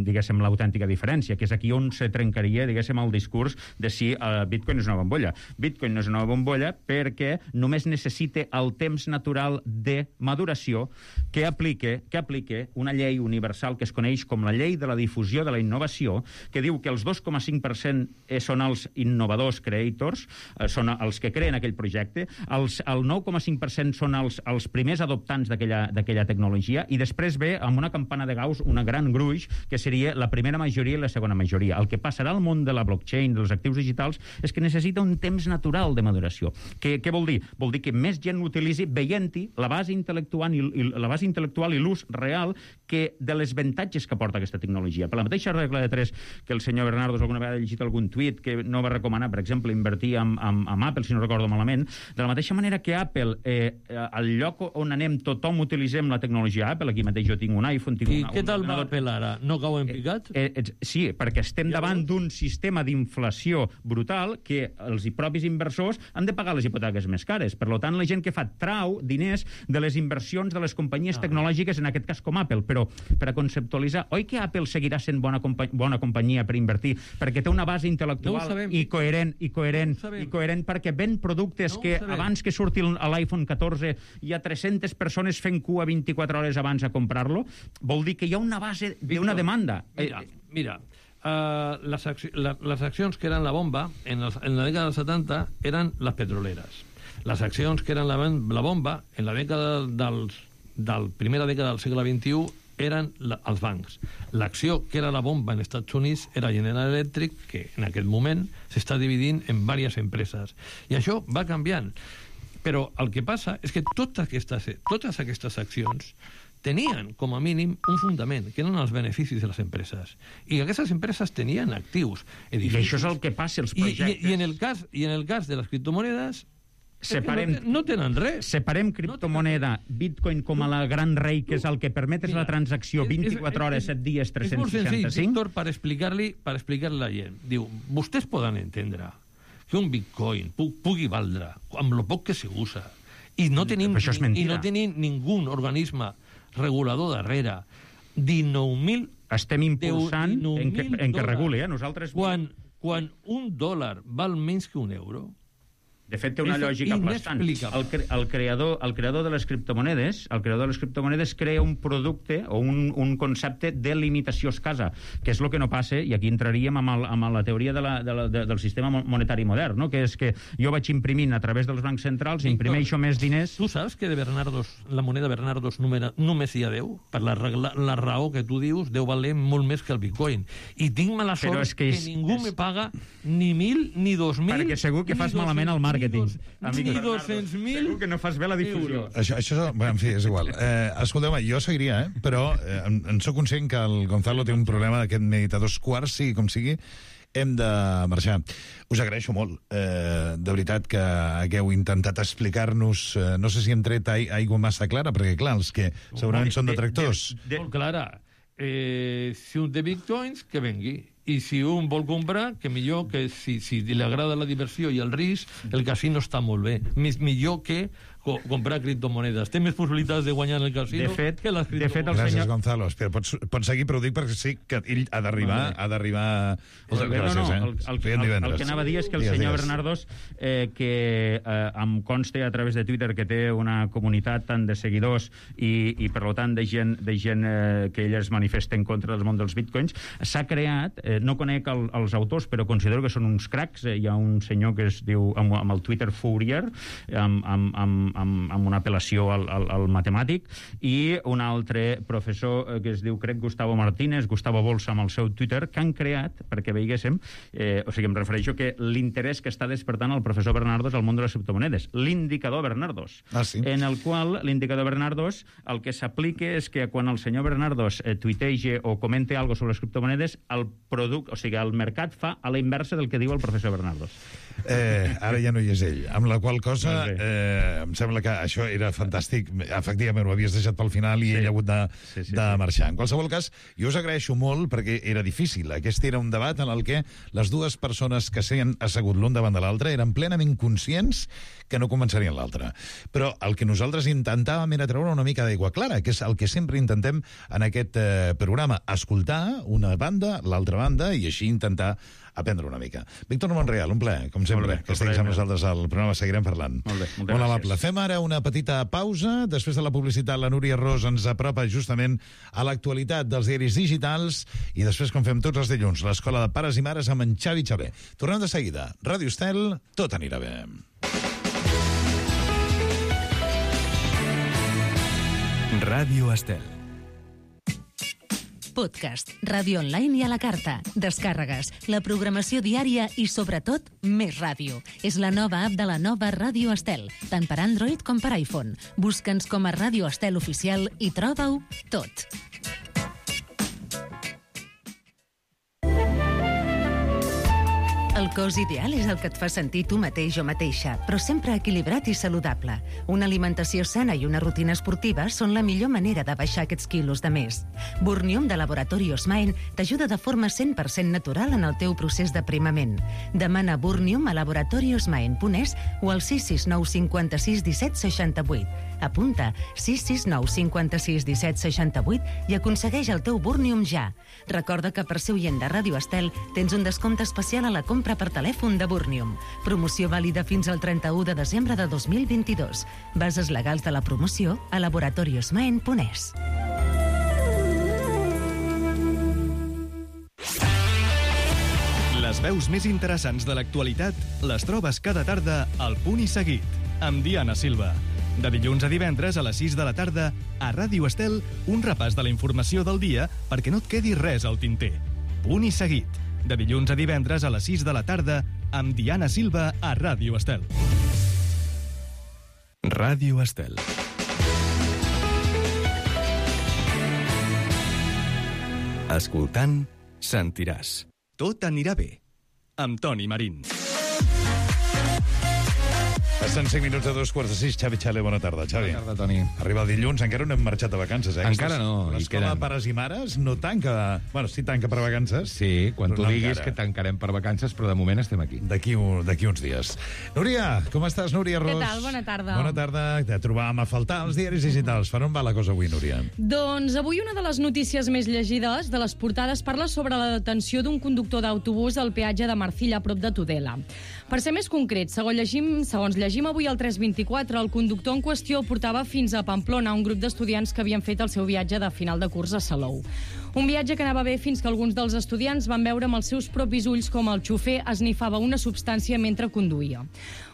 diguéssim, l'autèntica diferència, que és aquí on se trencaria, diguéssim, el discurs de si Bitcoin és una bombolla. Bitcoin no és una bombolla perquè només necessita el temps natural de maduració que aplique una llei universal que es coneix com la llei de la difusió de la innovació, que diu que els 2,5% són els innovadors creators, són els que creen aquell projecte, el 9,5% són els primers adoptants d'aquella tecnologia, i després ve amb una campana de Gauss una gran gruix, que seria la primera majoria i la segona majoria. El que passarà al món de la blockchain, dels actius digitals, és que necessita un temps natural de maduració. Què vol dir? Vol dir que més gent l'utilitzi veient-hi la base intel·lectual i l'ús real de les avantatges que porta aquesta tecnologia. Per la mateixa regla de 3 que el senyor Bernardo alguna vegada ha llegit algun tuit que no va recomanar, per exemple, invertir amb Apple, si no recordo malament, de la mateixa manera que Apple, al lloc on anem tothom utilitzem la tecnologia Apple, aquí mateix jo tinc un iPhone, tinc què tal va Apple ara? No cau en picat? Sí, perquè estem davant d'un sistema d'inflació brutal que els propis inversors han de pagar les hipoteques més cares. Per tant, la gent que fa trau diners de les inversions de les companyies tecnològiques, en aquest cas com Apple. Però per a conceptualitzar, oi que Apple seguirà sent bona companyia per invertir perquè té una base intel·lectual i coherent perquè ven productes que abans que surti l'iPhone 14 hi ha 300 persones fent cua 24 hores abans a comprar-lo? Vol dir que hi ha una base d'una demanda. Mira, les accions que eren la bomba en la dècada dels 70 eren les petroleres. Les accions que eren la bomba en la dècada primera dècada del segle XXI eren els bancs. L'acció, que era la bomba en Estats Units, era General Electric, que en aquest moment s'està dividint en diverses empreses. I això va canviant. Però el que passa és que totes aquestes accions tenien, com a mínim, un fundament, que eren els beneficis de les empreses. I aquestes empreses tenien actius, edificis. I això és el que passa als projectes. I en el cas de les criptomonedes, no tenen res. Separem criptomoneda, Bitcoin com a la gran rei, que és el que permet la transacció 24 hores, 7 dies, 365. És molt senzill, Víctor, per explicar-li a la gent. Diu, vostès poden entendre que un Bitcoin pugui valdre amb lo poc que se usa i no tenim ningú organisme regulador darrere 19.000... Estem impulsant en que reguli, nosaltres... Quan $1 val menys que €1... De fet, té una lògica aplastant. El creador de les criptomonedes crea un producte o un concepte de limitació escassa, que és el que no passa, i aquí entraríem amb la teoria del sistema monetari modern, no? Que és que jo vaig imprimint a través dels bancs centrals, imprimeixo més diners... Tu saps que de Bernardos, la moneda Bernardos només hi ha 10? Per la raó que tu dius, 10 valer molt més que el Bitcoin. I tinc mala sort que ningú me paga ni 1.000 ni 2.000... Perquè segur que fas malament el marketing. Ni 200.000... Segur que no fas bé la difusió. Això en fi, és igual. Escolteu-me, jo seguiria, però en sóc conscient que el Gonzalo té un problema d'aquest meditadors quarts, sigui com sigui, hem de marxar. Us agraeixo molt, de veritat, que hagueu intentat explicar-nos, no sé si hem tret aigua massa clara, perquè, clar, els que segurament són detractors... Molt clara. Si un té bitcoins, que vengui. I si un vol comprar, que millor, que si li agrada la diversió i el risc, el casino està molt bé. Millor que comprar criptomonedes. Té més possibilitats de guanyar en el casino que les criptomonedes. Gràcies, Gonzalo. Espera, pots seguir, però ho dic perquè sí que ell ha d'arribar... El que anava a dir és que el senyor Bernardos, que em consta a través de Twitter que té una comunitat tant de seguidors i per tant de gent que ell es manifesta en contra del món dels bitcoins, s'ha creat, no conec els autors, però considero que són uns cracs. Hi ha un senyor que es diu, amb el Twitter Fourier, amb una apel·lació al matemàtic, i un altre professor que es diu, crec, Gustavo Martínez, Gustavo Bolsa, amb el seu Twitter, que han creat, perquè veiguéssim, o sigui, em refereixo que l'interès que està despertant el professor Bernardos al món de les criptomonedes, l'indicador Bernardos, en el qual l'indicador Bernardos el que s'aplica és que quan el senyor Bernardos tuitege o comente algo sobre les criptomonedes, el producte, o sigui, el mercat fa a la inversa del que diu el professor Bernardos. Ara ja no hi és ell, amb la qual cosa em sembla que això era fantàstic. Efectivament, ho havies deixat pel final i ell ha hagut de marxar. En qualsevol cas, jo us agraeixo molt perquè era difícil. Aquest era un debat en el que les dues persones que s'han assegut l'un davant de l'altre eren plenament conscients que no començarien l'altre. Però el que nosaltres intentàvem era treure una mica d'aigua clara, que és el que sempre intentem en aquest programa, escoltar una banda, l'altra banda, i així intentar aprendre una mica. Víctor Monreal, un plaer, com sempre, que estiguis amb nosaltres al programa. Seguirem parlant. Molt amable. Fem ara una petita pausa. Després de la publicitat, la Núria Ros ens apropa justament a l'actualitat dels diaris digitals i després, com fem tots els dilluns, l'Escola de Pares i Mares amb en Xavi Xavé. Tornem de seguida. Ràdio Estel, tot anirà bé. Ràdio Estel. Podcast, ràdio online i a la carta, descàrregues, la programació diària i, sobretot, més ràdio. És la nova app de la nova Ràdio Estel, tant per Android com per iPhone. Busca'ns com a Ràdio Estel Oficial i troba-ho tot. El cos ideal és el que et fa sentir tu mateix o mateixa, però sempre equilibrat i saludable. Una alimentació sana i una rutina esportiva són la millor manera de baixar aquests quilos de més. Burnium de Laboratori Osmain t'ajuda de forma 100% natural en el teu procés d'aprimament. Demana Burnium a laboratoriosmain.es o al 669 56 17 68. Apunta 669 56 17 68 i aconsegueix el teu Burnium ja. Recorda que per ser oient de Ràdio Estel tens un descompte especial a la compra per telèfon de Burnium. Promoció vàlida fins al 31 de desembre de 2022. Bases legals de la promoció a laboratoriosmain.es. Les veus més interessants de l'actualitat les trobes cada tarda al Punt i Seguit, amb Diana Silva. De dilluns a divendres a les 6 de la tarda, a Ràdio Estel, un repàs de la informació del dia perquè no et quedi res al tinter. Punt i seguit. De dilluns a divendres a les 6 de la tarda, amb Diana Silva a Ràdio Estel. Ràdio Estel. Escoltant, sentiràs. Tot anirà bé. Amb Toni Marín. Passen 5 minuts a 2:45. Xavi Xale, bona tarda. Xavi. Bona tarda, Toni. Arriba el dilluns, encara no hem marxat de vacances, eh? Encara no. L'escola de pares i mares no tanca... Bueno, sí tanca per vacances. Sí, quan tu no diguis encara. que tancarem per vacances, però de moment estem aquí. D'aquí uns dies. Núria, com estàs, Núria Ros? Què tal? Bona tarda. Bona tarda. Te trobàvem a faltar els diaris digitals. Per on va la cosa avui, Núria? Doncs avui una de les notícies més llegides de les portades parla sobre la detenció d'un conductor d'autobús al peatge de Marcilla, a prop de Tudela. Per ser més concret, segons llegim avui al 324, el conductor en qüestió portava fins a Pamplona un grup d'estudiants que havien fet el seu viatge de final de curs a Salou. Un viatge que anava bé fins que alguns dels estudiants van veure amb els seus propis ulls com el xofer esnifava una substància mentre conduïa.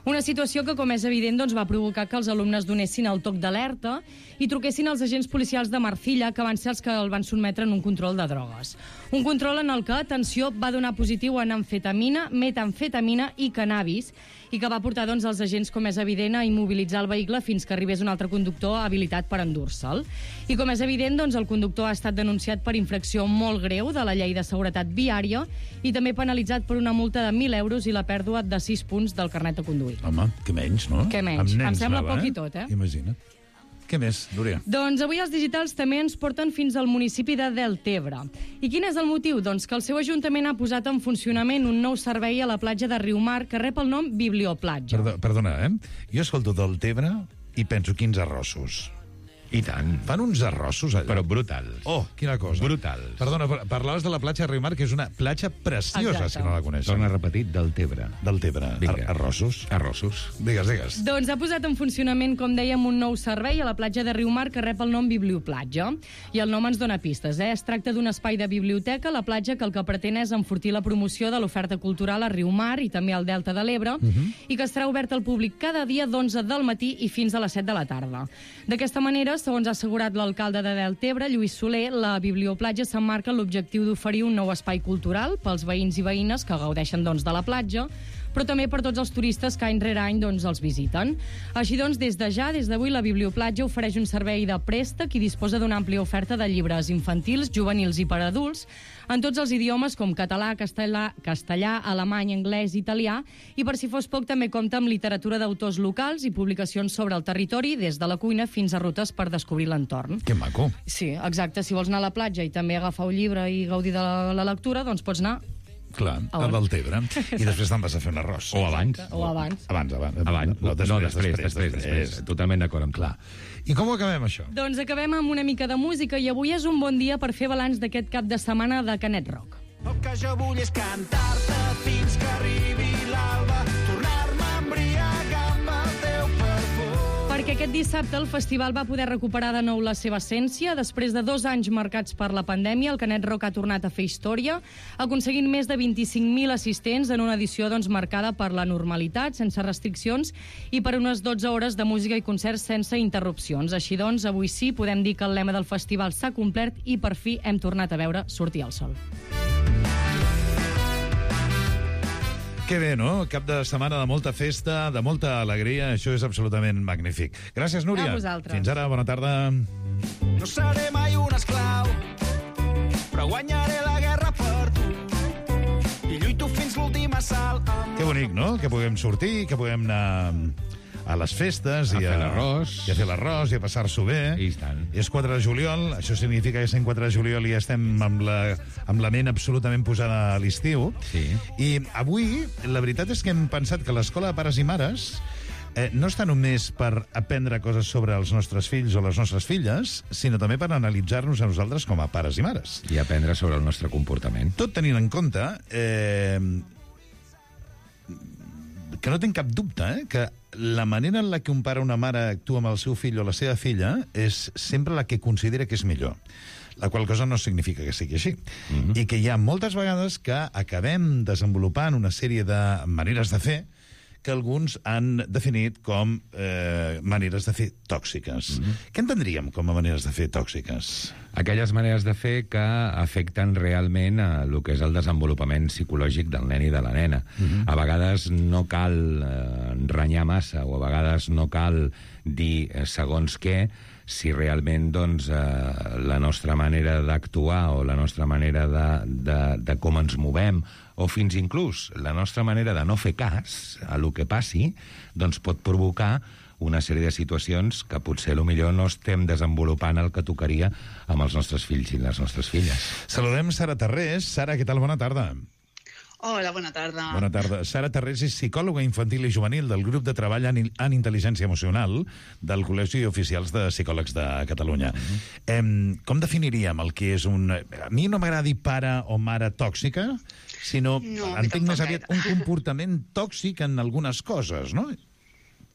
Una situació que, com és evident, va provocar que els alumnes donessin el toc d'alerta i truquessin als agents policials de Marcilla, que van ser els que el van sotmetre en un control de drogues. Un control en el que, atenció, va donar positiu en amfetamina, metamfetamina i cannabis, i que va portar els agents, com és evident, a immobilitzar el vehicle fins que arribés un altre conductor habilitat per endur-se'l. I com és evident, el conductor ha estat denunciat per infracció molt greu de la llei de seguretat viària i també penalitzat per una multa de 1.000 euros i la pèrdua de 6 punts del carnet de conduir. Home, que menys, no? Que menys. Em sembla poc i tot, eh? Imagina't. Què més, Núria? Doncs avui els digitals també ens porten fins al municipi de Deltebre. I quin és el motiu? Doncs que el seu ajuntament ha posat en funcionament un nou servei a la platja de Riumar que rep el nom Biblioplatja. Perdona, Jo escolto Deltebre i penso quins arrossos. I tant. Fan uns arrossos allà. Però brutals. Oh, quina cosa. Brutals. Perdona, parlaves de la platja de Riumar, que és una platja preciosa, si no la coneixes. Torna a repetir, Deltebre. Deltebre. Arrossos. Arrossos. Digues. Doncs ha posat en funcionament, com dèiem, un nou servei a la platja de Riumar que rep el nom Biblioplatja. I el nom ens dona pistes, Es tracta d'un espai de biblioteca a la platja que el que pretén és enfortir la promoció de l'oferta cultural a Riumar i també al Delta de l'Ebre i que estarà obert al públic cada dia d'11 del matí i fins a les 7 de la tarda. D'aquesta manera, segons ha assegurat l'alcalde de Deltebre, Lluís Soler, la Biblioplatja s'emmarca en l'objectiu d'oferir un nou espai cultural pels veïns i veïnes que gaudeixen de la platja, però també per tots els turistes que any rere any els visiten. Així des d'avui, la Biblioplatja ofereix un servei de préstec i disposa d'una àmplia oferta de llibres infantils, juvenils i per adults, en tots els idiomes com català, castellà, alemany, anglès i italià, i per si fos poc també compta amb literatura d'autors locals i publicacions sobre el territori, des de la cuina fins a rutes per descobrir l'entorn. Que maco. Sí, exacte. Si vols anar a la platja i també agafar un llibre i gaudir de la lectura, doncs pots anar Clar, a Deltebre. I després te'n vas a fer un arròs. O abans. Abans. No, després. Totalment d'acord amb clar. I com ho acabem, això? Doncs acabem amb una mica de música i avui és un bon dia per fer balanç d'aquest cap de setmana de Canet Rock. El que jo vull és cantar-te fins que arribi l'alba, tornar-me a embriagar amb el teu perfum. Perquè aquest dissabte el festival va poder recuperar de nou la seva essència. Després de 2 anys marcats per la pandèmia, el Canet Rock ha tornat a fer història, aconseguint més de 25.000 assistents en una edició marcada per la normalitat, sense restriccions, i per unes 12 hores de música i concerts sense interrupcions. Així avui sí, podem dir que el lema del festival s'ha complert i per fi hem tornat a veure sortir el sol. Que bé, no? Cap de setmana de molta festa, de molta alegria. Això és absolutament magnífic. Gràcies, Núria. A vosaltres. Fins ara, bona tarda. No seré mai un esclau, però guanyaré la guerra per tu. I lluito fins l'últim assalt. Que bonic, no? Que puguem sortir, que puguem anar a les festes a fer l'arròs i a fer l'arròs i a passar-s'ho bé. I tant. És 4 de juliol, això significa que sent 4 de juliol ja estem amb la ment absolutament posada a l'estiu. Sí. I avui, la veritat és que hem pensat que l'escola de pares i mares no està només per aprendre coses sobre els nostres fills o les nostres filles, sinó també per analitzar-nos a nosaltres com a pares i mares. I aprendre sobre el nostre comportament. Tot tenint en compte que no tinc cap dubte que la manera en la que un pare o una mare actua amb el seu fill o la seva filla és sempre la que considera que és millor. La qual cosa no significa que sigui així. I que hi ha moltes vegades que acabem desenvolupant una sèrie de maneres de fer que alguns han definit com maneres de fer tòxiques. Què entendríem com a maneres de fer tòxiques? Aquelles maneres de fer que afecten realment a el que és el desenvolupament psicològic del nen i de la nena. A vegades no cal renyar massa, o a vegades no cal dir segons què, si realment doncs, la nostra manera d'actuar o la nostra manera de com ens movem, o fins inclús la nostra manera de no fer cas a lo que passi, doncs pot provocar una sèrie de situacions que potser millor no estem desenvolupant el que tocaria amb els nostres fills i les nostres filles. Saludem Sara Tarrés. Sara, què tal? Bona tarda. Hola, bona tarda. Bona tarda. Sara Tarrés és psicòloga infantil i juvenil del grup de treball en intel·ligència emocional del Col·legi d'Oficials de Psicòlegs de Catalunya. Com definiríem el que és un... A mi no m'agrada dir pare o mare tòxica, sinó, entenc més aviat, un comportament tòxic en algunes coses, no?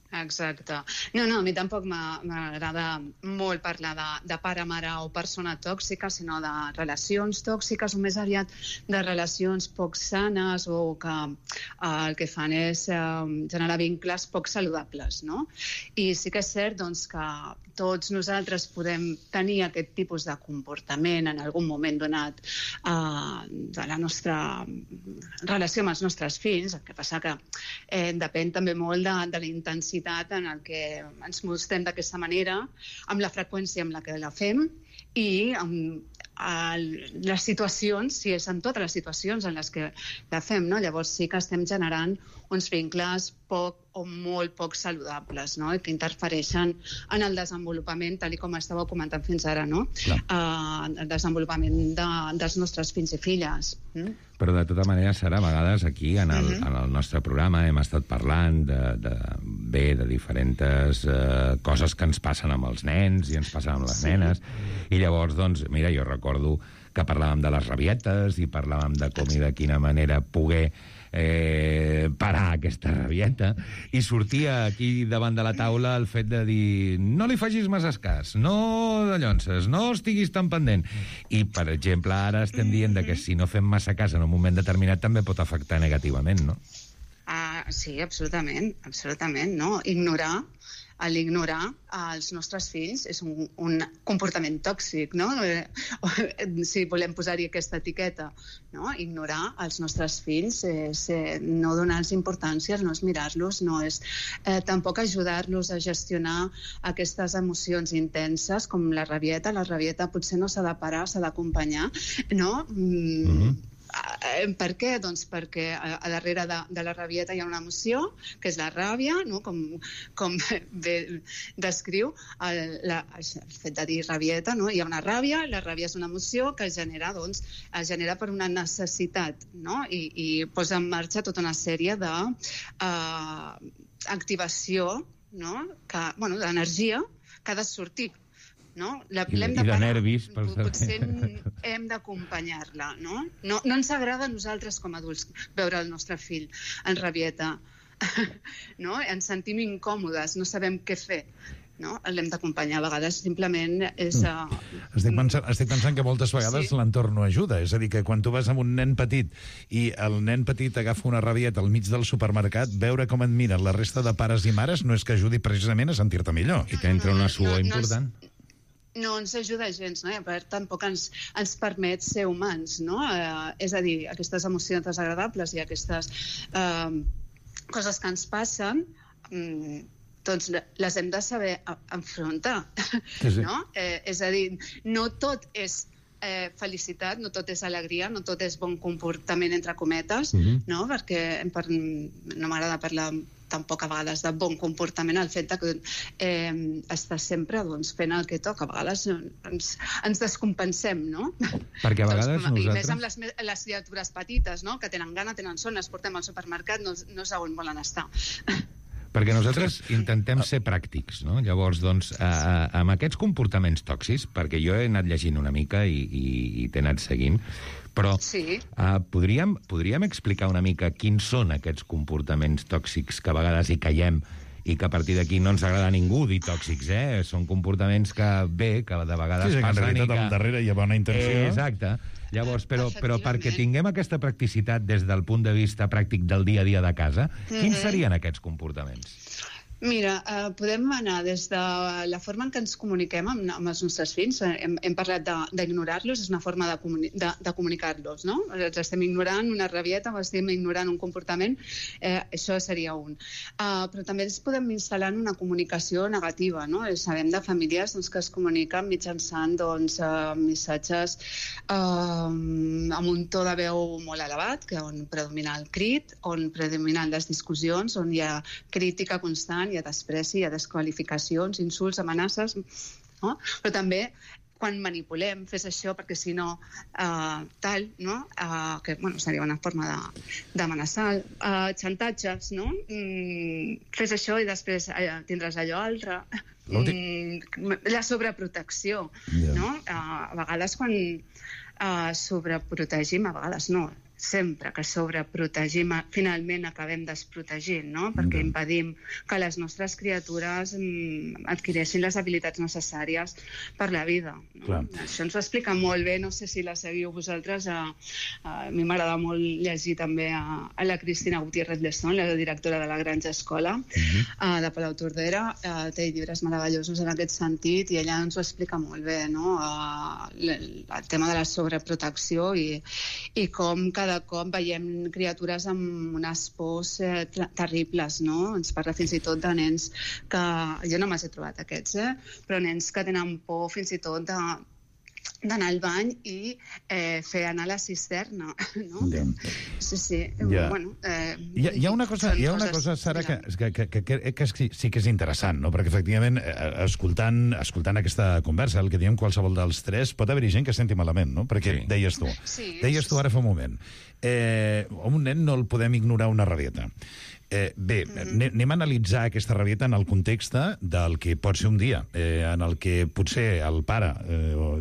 Exacte. No, a mi tampoc m'agrada molt parlar de pare, mare o persona tòxica, sinó de relacions tòxiques, o més aviat de relacions poc sanes o que el que fan és generar vincles poc saludables, no? I sí que és cert doncs, que tots nosaltres podem tenir aquest tipus de comportament en algun moment donat de la nostra relació amb els nostres fills. El que passa que depèn també molt de la intensitat en el que ens mostrem d'aquesta manera, amb la freqüència amb la que la fem i amb les situacions, si és en totes les situacions en les que la fem, no? Llavors sí que estem generant uns vincles poc o molt poc saludables, no? Que interfereixen en el desenvolupament, tal com estàveu comentant fins ara, no? El desenvolupament dels nostres fills i filles. Però de tota manera, Sara, a vegades aquí en el nostre programa hem estat parlant de diferents coses que ens passen amb els nens i ens passen amb les nenes, i llavors, doncs, mira, jo recordo que parlàvem de les rabietes i parlàvem de com i de quina manera poder parar aquesta rabieta, i sortia aquí davant de la taula el fet de dir no li facis massa cas, no de llonces, no estiguis tan pendent. I, per exemple, ara estem dient que si no fem massa cas en un moment determinat també pot afectar negativament, no? Sí, absolutament, no? L'ignorar els nostres fills és un comportament tòxic, no? Si volem posar-hi aquesta etiqueta, no? Ignorar els nostres fills és no donar-los importància, no és mirar-los, no és tampoc ajudar-los a gestionar aquestes emocions intenses com la rabieta. La rabieta potser no s'ha de parar, s'ha d'acompanyar, no? Per què? Doncs perquè a darrere de la rabieta hi ha una emoció, que és la ràbia, no? Com bé descriu el fet de dir rabieta, no? Hi ha una ràbia, la ràbia és una emoció que es genera per una necessitat, no? I posa en marxa tota una sèrie d'activació, no? D'energia que ha de sortir. No? I de nervis. Potser hem d'acompanyar-la, no? No ens agrada a nosaltres com a adults veure el nostre fill en rabieta, no? Ens sentim incòmodes, no sabem què fer, no? L'hem d'acompanyar. A vegades simplement és... Estic pensant que moltes vegades l'entorn no ajuda. És a dir, que quan tu vas amb un nen petit i el nen petit agafa una rabieta al mig del supermercat, veure com et miren la resta de pares i mares no és que ajudi precisament a sentir-te millor. I t'entra una suor important. No ens ajuda gens, no? I a part tampoc ens permet ser humans, no? És a dir, aquestes emocions desagradables i aquestes coses que ens passen, doncs les hem de saber enfrontar, no? És a dir, no tot és felicitat, no tot és alegria, no tot és bon comportament, entre cometes, no? Perquè no m'agrada parlar tampoc a vegades de bon comportament, el fet que està sempre fent el que toca. A vegades ens descompensem, no? Perquè a vegades nosaltres... I més amb les criatures petites, no? Que tenen gana, tenen son, les portem al supermercat, no és on volen estar. Perquè nosaltres intentem ser pràctics, no? Llavors, doncs, amb aquests comportaments tòxics, perquè jo he anat llegint una mica i t'he anat seguint, però podríem explicar una mica quins són aquests comportaments tòxics que a vegades hi caiem i que a partir d'aquí no ens agrada a ningú dir tòxics, Són comportaments que de vegades passen. En realitat, al darrere hi ha bona intenció. Exacte. Llavors, però perquè tinguem aquesta practicitat des del punt de vista pràctic del dia a dia de casa, quins serien aquests comportaments? Mira, podem anar des de la forma en què ens comuniquem amb els nostres fills. Hem parlat d'ignorar-los, és una forma de comunicar-los, no? Els estem ignorant una rabieta o estem ignorant un comportament, això seria un. Però també ens podem instal·lar en una comunicació negativa, no? Sabem de famílies que es comuniquen mitjançant missatges amb un to de veu molt elevat, on predomina el crit, on predominen les discussions, on hi ha crítica constant, hi ha despreci, hi ha desqualificacions, insults, amenaces, no? Però també quan manipulem, fes això perquè si no tal, no? Que seria una forma d'amenaçar, xantatges, no? Fes això i després tindràs allò altre. La sobreprotecció, no? A vegades quan sobreprotegim, a vegades no, sempre que sobreprotegim, finalment acabem desprotegint, no? Perquè impedim que les nostres criatures adquireixin les habilitats necessàries per la vida. No? Això ens ho explica molt bé, no sé si la seguiu vosaltres, a mi m'agrada molt llegir també a la Cristina Gutiérrez Lezón, la directora de la Granja Escola, de Palau Tordera, té llibres meravellosos en aquest sentit, i ella ens ho explica molt bé, no? El tema de la sobreprotecció i com cada cop veiem criatures amb unes pors terribles, no? Ens parla fins i tot de nens que... Jo no me'ls he trobat aquests, però nens que tenen por fins i tot d'anar al bany i fer anar a la cisterna, no? Sí. Bueno, hi ha una cosa, Sara, que sí que és interessant, no? Perquè, efectivament, escoltant aquesta conversa, el que diem qualsevol dels tres, pot haver-hi gent que senti malament, no? Perquè deies tu ara fa un moment, un nen no el podem ignorar una rabieta. Bé, anem a analitzar aquesta rabieta en el context del que pot ser un dia, en el que potser el pare,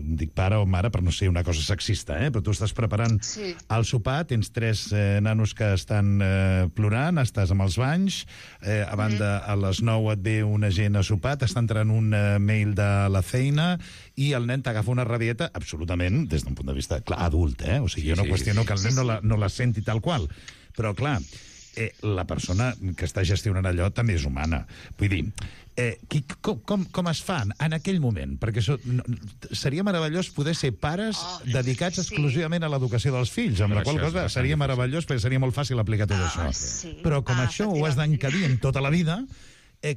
dic pare o mare per no ser una cosa sexista, però tu estàs preparant el sopar, tens 3 nanos que estan plorant, estàs amb els banys, a banda a les 9 et ve una gent a sopar, t'està entrant un mail de la feina i el nen t'agafa una rabieta absolutament, des d'un punt de vista, clar, adult, o sigui, jo no qüestiono que el nen no la senti tal qual, però clar, la persona que està gestionant allò també és humana. Vull dir, com es fa en aquell moment? Perquè seria meravellós poder ser pares dedicats exclusivament a l'educació dels fills, amb la qual cosa seria meravellós perquè seria molt fàcil aplicar tot això. Però com això ho has d'encadir en tota la vida,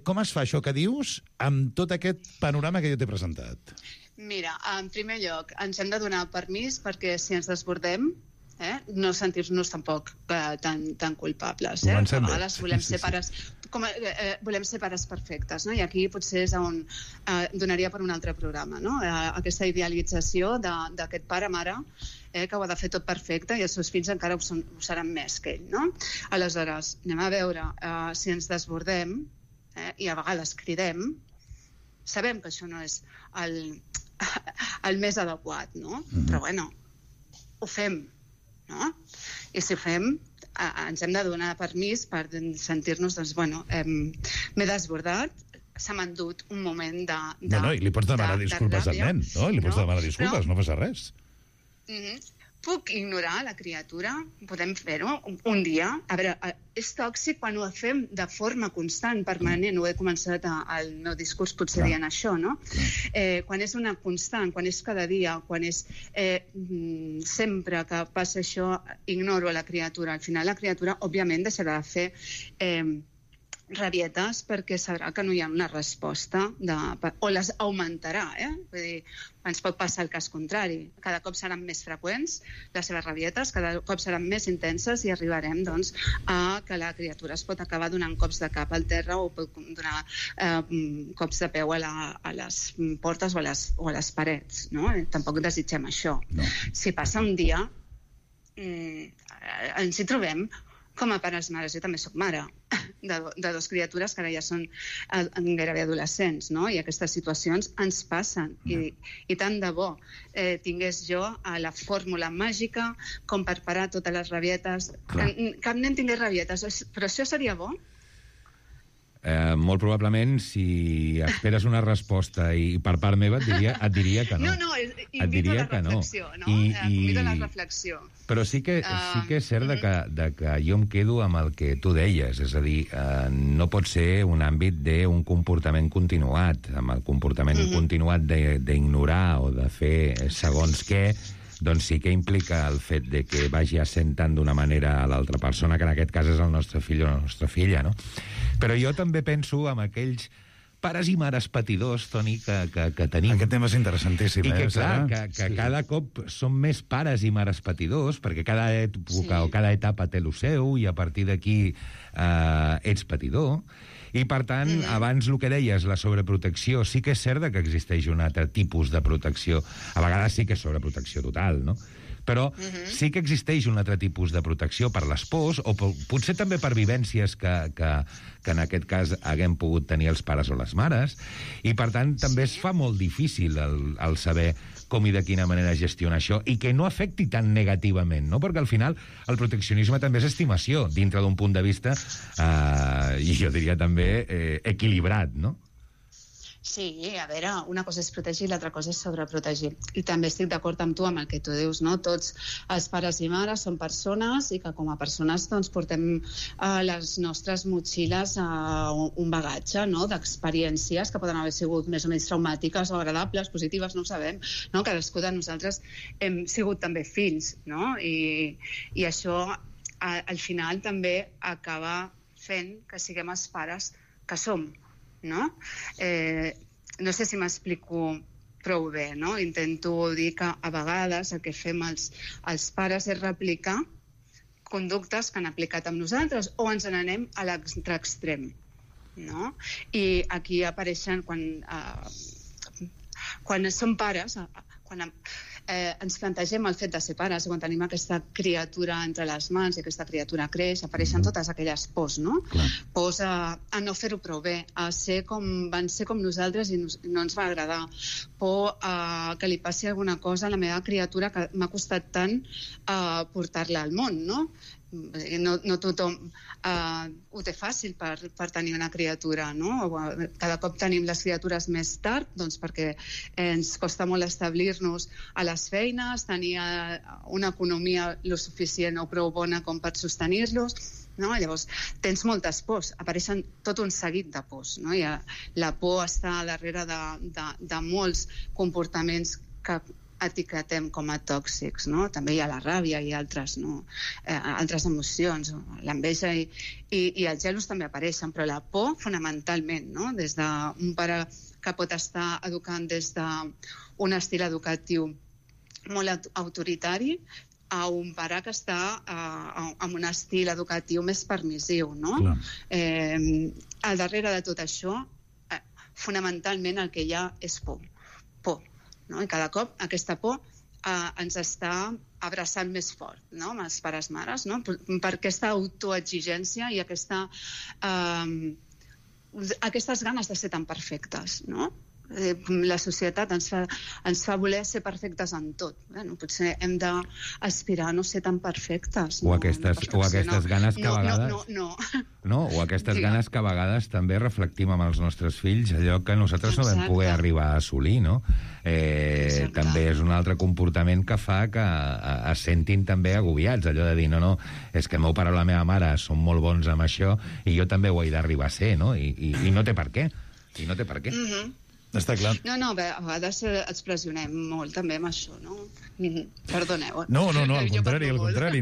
com es fa això que dius amb tot aquest panorama que jo t'he presentat? Mira, en primer lloc, ens hem de donar permís perquè si ens desbordem, no sentir-nos tampoc tan culpables. A vegades volem ser pares perfectes, no? I aquí potser és on donaria per un altre programa, no? Aquesta idealització d'aquest pare-mare que ho ha de fer tot perfecte i els seus fills encara ho seran més que ell, no? Aleshores, anem a veure si ens desbordem i a vegades cridem, sabem que això no és el més adequat, no? Però bueno, ho fem, no? I si ho fem, ens hem de donar permís per sentir-nos, doncs, bueno, m'he desbordat, se m'ha endut un moment de No, i li pots demanar disculpes al nen, no? Li pots demanar disculpes, no passa res. Puc ignorar la criatura? Podem fer-ho un dia? A veure, és tòxic quan ho fem de forma constant, permanent. Ho he començat al meu discurs potser dient això, no? Quan és una constant, quan és cada dia, quan és sempre que passa això, ignoro la criatura. Al final la criatura, òbviament, deixarà de fer rabietes perquè sabrà que no hi ha una resposta o les augmentarà, Vull dir, ens pot passar el cas contrari. Cada cop seran més freqüents les seves rabietes, cada cop seran més intenses i arribarem, doncs, a que la criatura es pot acabar donant cops de cap al terra o pot donar cops de peu a les portes o a les parets, no? Tampoc desitgem això. Si passa un dia, ens hi trobem com a pares mares. Jo també soc mare de 2 criatures que ara ja són gairebé adolescents, no? I aquestes situacions ens passen. I tant de bo tingués jo la fórmula màgica com per parar totes les rabietes. Cap nen tingués rabietes, però això seria bo? Molt probablement, si esperes una resposta i per part meva et diria que no. No, invito a la reflexió, no? Invito a la reflexió. Però sí que és cert de que jo em quedo amb el que tu deies, és a dir, no pot ser un àmbit d'un comportament continuat, amb el comportament continuat d'ignorar o de fer segons què, doncs sí que implica el fet de que vagi assentant d'una manera a l'altra persona, que en aquest cas és el nostre fill o la nostra filla, no? Però jo també penso en aquells pares i mares patidors, Toni, que tenim. Aquest tema és interessantíssim. I que, clar, que cada cop som més pares i mares patidors, perquè cada època o cada etapa té el seu, i a partir d'aquí ets patidor. I, per tant, abans el que deies, la sobreprotecció, sí que és cert que existeix un altre tipus de protecció. A vegades sí que és sobreprotecció total, no? Però sí que existeix un altre tipus de protecció per les pors, o potser també per vivències que en aquest cas haguem pogut tenir els pares o les mares, i per tant també es fa molt difícil el saber com i de quina manera gestionar això, i que no afecti tan negativament, no? Perquè al final el proteccionisme també és estimació, dintre d'un punt de vista, i jo diria també equilibrat, no? Sí, a veure, una cosa és protegir, l'altra cosa és sobreprotegir. I també estic d'acord amb tu, amb el que tu dius, no? Tots els pares i mares són persones i que com a persones doncs, portem les nostres motxilles un bagatge, no? D'experiències que poden haver sigut més o menys traumàtiques o agradables, positives, no ho sabem, no? Cadascú de nosaltres hem sigut també fills, no? I això al final també acaba fent que siguem els pares que som, no? No sé si m'explico prou bé, no? Intento dir que a vegades el que fem els pares és replicar conductes que han aplicat amb nosaltres o ens n'anem a l'altre extrem, no? I aquí apareixen quan som pares, quan ens plantegem el fet de ser pares, quan tenim aquesta criatura entre les mans i aquesta criatura creix, apareixen totes aquelles pors, no? Pors a no fer-ho prou bé, a ser van ser com nosaltres i no ens va agradar, por a que li passi alguna cosa a la meva criatura que m'ha costat tant portar-la al món, no? No tothom ho té fàcil per tenir una criatura, no? Cada cop tenim les criatures més tard, doncs perquè ens costa molt establir-nos a les feines, tenir una economia lo suficient o prou bona com per sostenir-los, no? Llavors tens moltes pors, apareixen tot un seguit de pors, no? I la por està darrere de molts comportaments que etiquetem com a tòxics, no? També hi ha la ràbia i altres, no? Altres emocions, l'enveja i els gelos també apareixen, però la por fonamentalment, no? Des d'un pare que pot estar educant des d'un estil educatiu molt autoritari a un pare que està amb un estil educatiu més permissiu, no? Al darrere de tot això, fonamentalment el que hi ha és por. No? I cada cop aquesta por ens està abraçant més fort, no? Amb els pares mares, no? Per aquesta autoexigència i aquestes ganes de ser tan perfectes, no? La societat ens fa voler ser perfectes en tot. Potser hem d'aspirar a no ser tan perfectes. O aquestes ganes que a vegades... No, o aquestes ganes que a vegades també reflectim amb els nostres fills, allò que nosaltres no vam poder arribar a assolir, no? També és un altre comportament que fa que es sentin també agobiats, allò de dir, no, és que el meu pare o la meva mare són molt bons amb això i jo també ho he d'arribar a ser, no? I no té per què. I no té per què. Està clar. No, a vegades ens pressionem molt també amb això, no? Perdoneu. No, al contrari.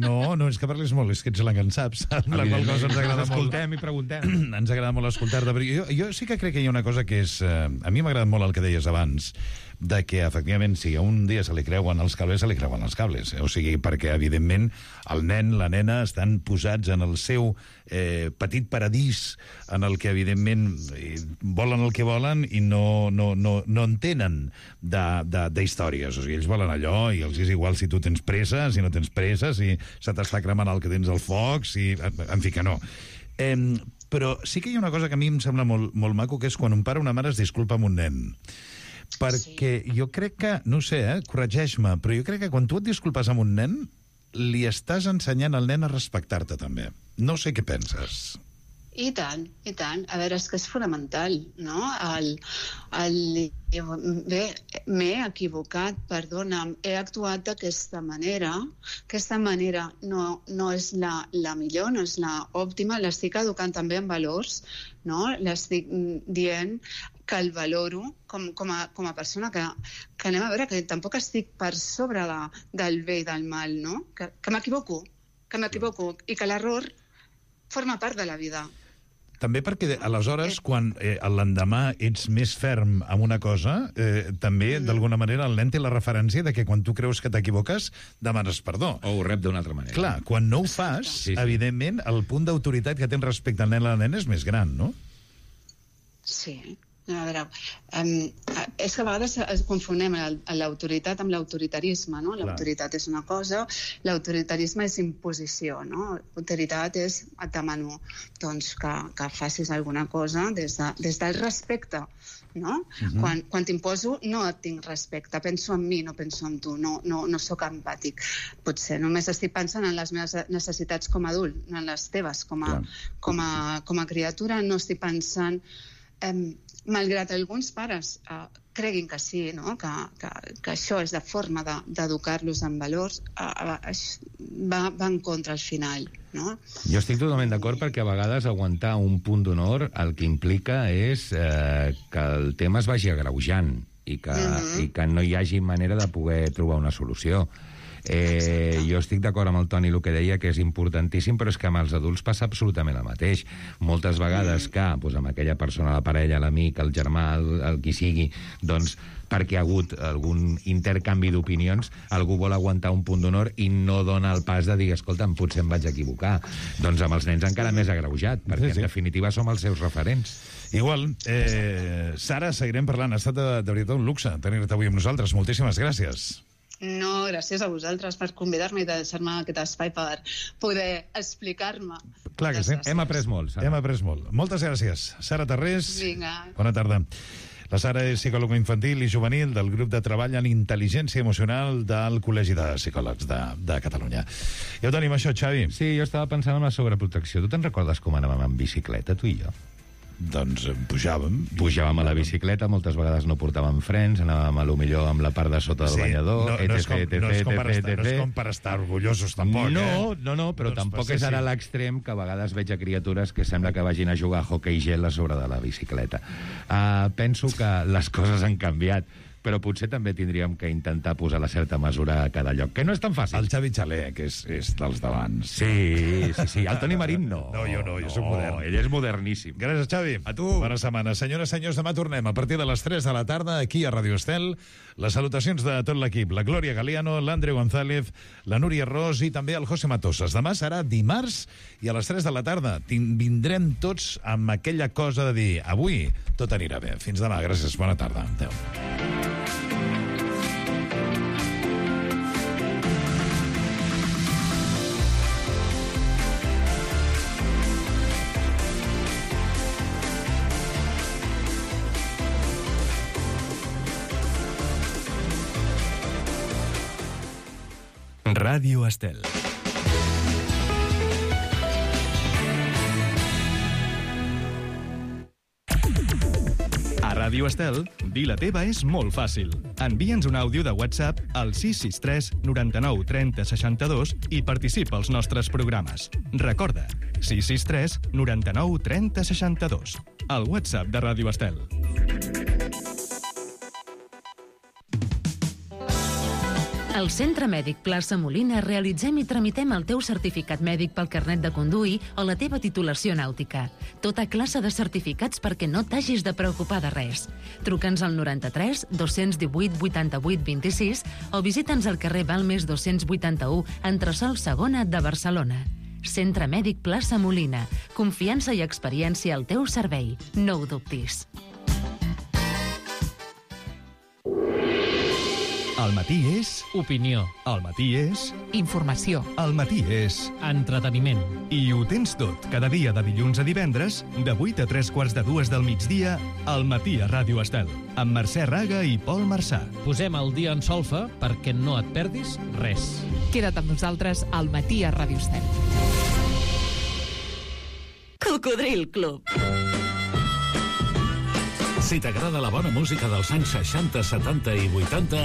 No, és que parlis molt, és que ets la que en saps. La qual cosa ens agrada molt. Escoltem i preguntem. Ens agrada molt escoltar-te. Jo sí que crec que hi ha una cosa que és... A mi m'ha agradat molt el que deies abans, de que, efectivament, si un dia se li creuen els cables, se li creuen els cables. O sigui, perquè, evidentment, el nen, la nena, estan posats en el seu petit paradís, en el que, evidentment, volen el que volen i no entenen d'històries. O sigui, ells volen allò i els és igual si tu tens pressa, si no tens pressa, si se t'està cremant el que tens al foc, en fi, que no. Però sí que hi ha una cosa que a mi em sembla molt maco, que és quan un pare o una mare es disculpa amb un nen. Perquè jo crec que, no sé, corregeix-me, però jo crec que quan tu et disculpes amb un nen, li estàs ensenyant al nen a respectar-te també. No sé què penses. I tant. A veure, és que és fonamental, no? Bé, m'he equivocat, perdona'm, he actuat d'aquesta manera. Aquesta manera no és la millor, no és l'òptima, l'estic educant també en valors, no? L'estic dient que el valoro com a persona, que anem a veure, que tampoc estic per sobre del bé i del mal, no? Que m'equivoco, i que l'error forma part de la vida. També perquè, aleshores, quan l'endemà ets més ferm amb una cosa, també, d'alguna manera, el nen té la referència de que quan tu creus que t'equivoques, demanes perdó. O ho rep d'una altra manera. Clar, quan no ho fas, evidentment, el punt d'autoritat que tens respecte al nen o la nena és més gran, no? Sí. A veure, és que a vegades confonem l'autoritat amb l'autoritarisme, no? L'autoritat és una cosa, l'autoritarisme és imposició, no? L'autoritat és, et demano que facis alguna cosa des del respecte, no? Quan t'imposo no et tinc respecte, penso en mi, no penso en tu, no sóc empàtic. Potser només estic pensant en les meves necessitats com a adult, no en les teves com a criatura, no estic pensant... Malgrat alguns pares creguin que sí, no? que això és la forma d'educar-los en valors, va en contra al final. No? Jo estic totalment d'acord perquè a vegades aguantar un punt d'honor el que implica és que el tema es vagi agreujant i que no hi hagi manera de poder trobar una solució. Jo estic d'acord amb el Toni el que deia, que és importantíssim, però és que amb els adults passa absolutament el mateix. Moltes vegades que amb aquella persona, la parella, l'amic, el germà, el qui sigui, doncs perquè ha hagut algun intercanvi d'opinions, algú vol aguantar un punt d'honor i no dona el pas de dir, escolta'm, potser em vaig equivocar. Doncs amb els nens encara més agreujat, perquè en definitiva som els seus referents. Igual. Sara, seguirem parlant. Ha estat de veritat un luxe tenir-te avui amb nosaltres. Moltíssimes gràcies. No, gràcies a vosaltres per convidar-me i deixar-me aquest espai per poder explicar-me. Clar que sí. Hem après molt, Sara. Hem après molt. Moltes gràcies. Sara Tarrés. Vinga. Bona tarda. La Sara és psicòloga infantil i juvenil del grup de treball en intel·ligència emocional del Col·legi de Psicòlegs de Catalunya. Ja ho tenim, això, Xavi? Sí, jo estava pensant en la sobreprotecció. Tu te'n recordes com anàvem en bicicleta, tu i jo? Doncs pujàvem. Pujàvem a la bicicleta, moltes vegades no portàvem frens, anàvem a lo millor amb la part de sota del banyador, no és com per estar orgullosos, tampoc, No, però tampoc és ara l'extrem que a vegades veig a criatures que sembla que vagin a jugar a hoquei gel a sobre de la bicicleta. Penso que les coses han canviat, però potser també tindríem que intentar posar la certa mesura a cada lloc, que no és tan fàcil. El Xavi Xalé, que és dels d'abans. Sí. El Toni Marín no. No, jo soc modern. Ell és moderníssim. Gràcies, Xavi. A tu. Bona setmana. Senyores, senyors, demà tornem a partir de les 3 de la tarda aquí a Ràdio Estel. Les salutacions de tot l'equip. La Glòria Galiano, l'Andreu González, la Núria Ros i també el José Matosas. Demà serà dimarts i a les 3 de la tarda vindrem tots amb aquella cosa de dir avui tot anirà bé. Fins demà. Gràcies. Bona tarda. Adéu. Ràdio Estel. A Ràdio Estel, dir la teva és molt fàcil. Envia'ns un àudio de WhatsApp al 663 99 30 62 i participa als nostres programes. Recorda, 663 99 30 62. El WhatsApp de Ràdio Estel. Al Centre Mèdic Plaça Molina realitzem i tramitem el teu certificat mèdic pel carnet de conduir o la teva titulació nàutica. Tota classe de certificats perquè no t'hagis de preocupar de res. Truca'ns al 93 218 88 26 o visita'ns al carrer Balmes 281, entresòl segona de Barcelona. Centre Mèdic Plaça Molina. Confiança i experiència al teu servei. No ho dubtis. El matí és... Opinió. El matí és... Informació. El matí és... Entreteniment. I ho tens tot, cada dia de dilluns a divendres, de 8 a 3:45 del migdia, al matí a Ràdio Estel, amb Mercè Raga i Pol Marçà. Posem el dia en solfa perquè no et perdis res. Queda't amb nosaltres al matí a Ràdio Estel. Cocodril Club. Si t'agrada la bona música dels anys 60, 70 i 80...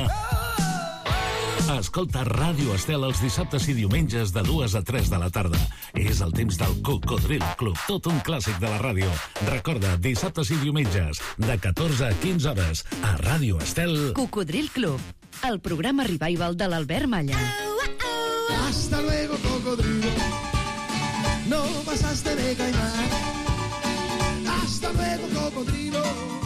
escolta Ràdio Estel els dissabtes i diumenges de 2 a 3 de la tarda. És el temps del Cocodril Club, tot un clàssic de la ràdio. Recorda, dissabtes i diumenges, de 14 a 15 hores, a Ràdio Estel... Cocodril Club, el programa revival de l'Albert Malla. Hasta luego, cocodrilo. No pasaste de caimán. Hasta luego, cocodrilo.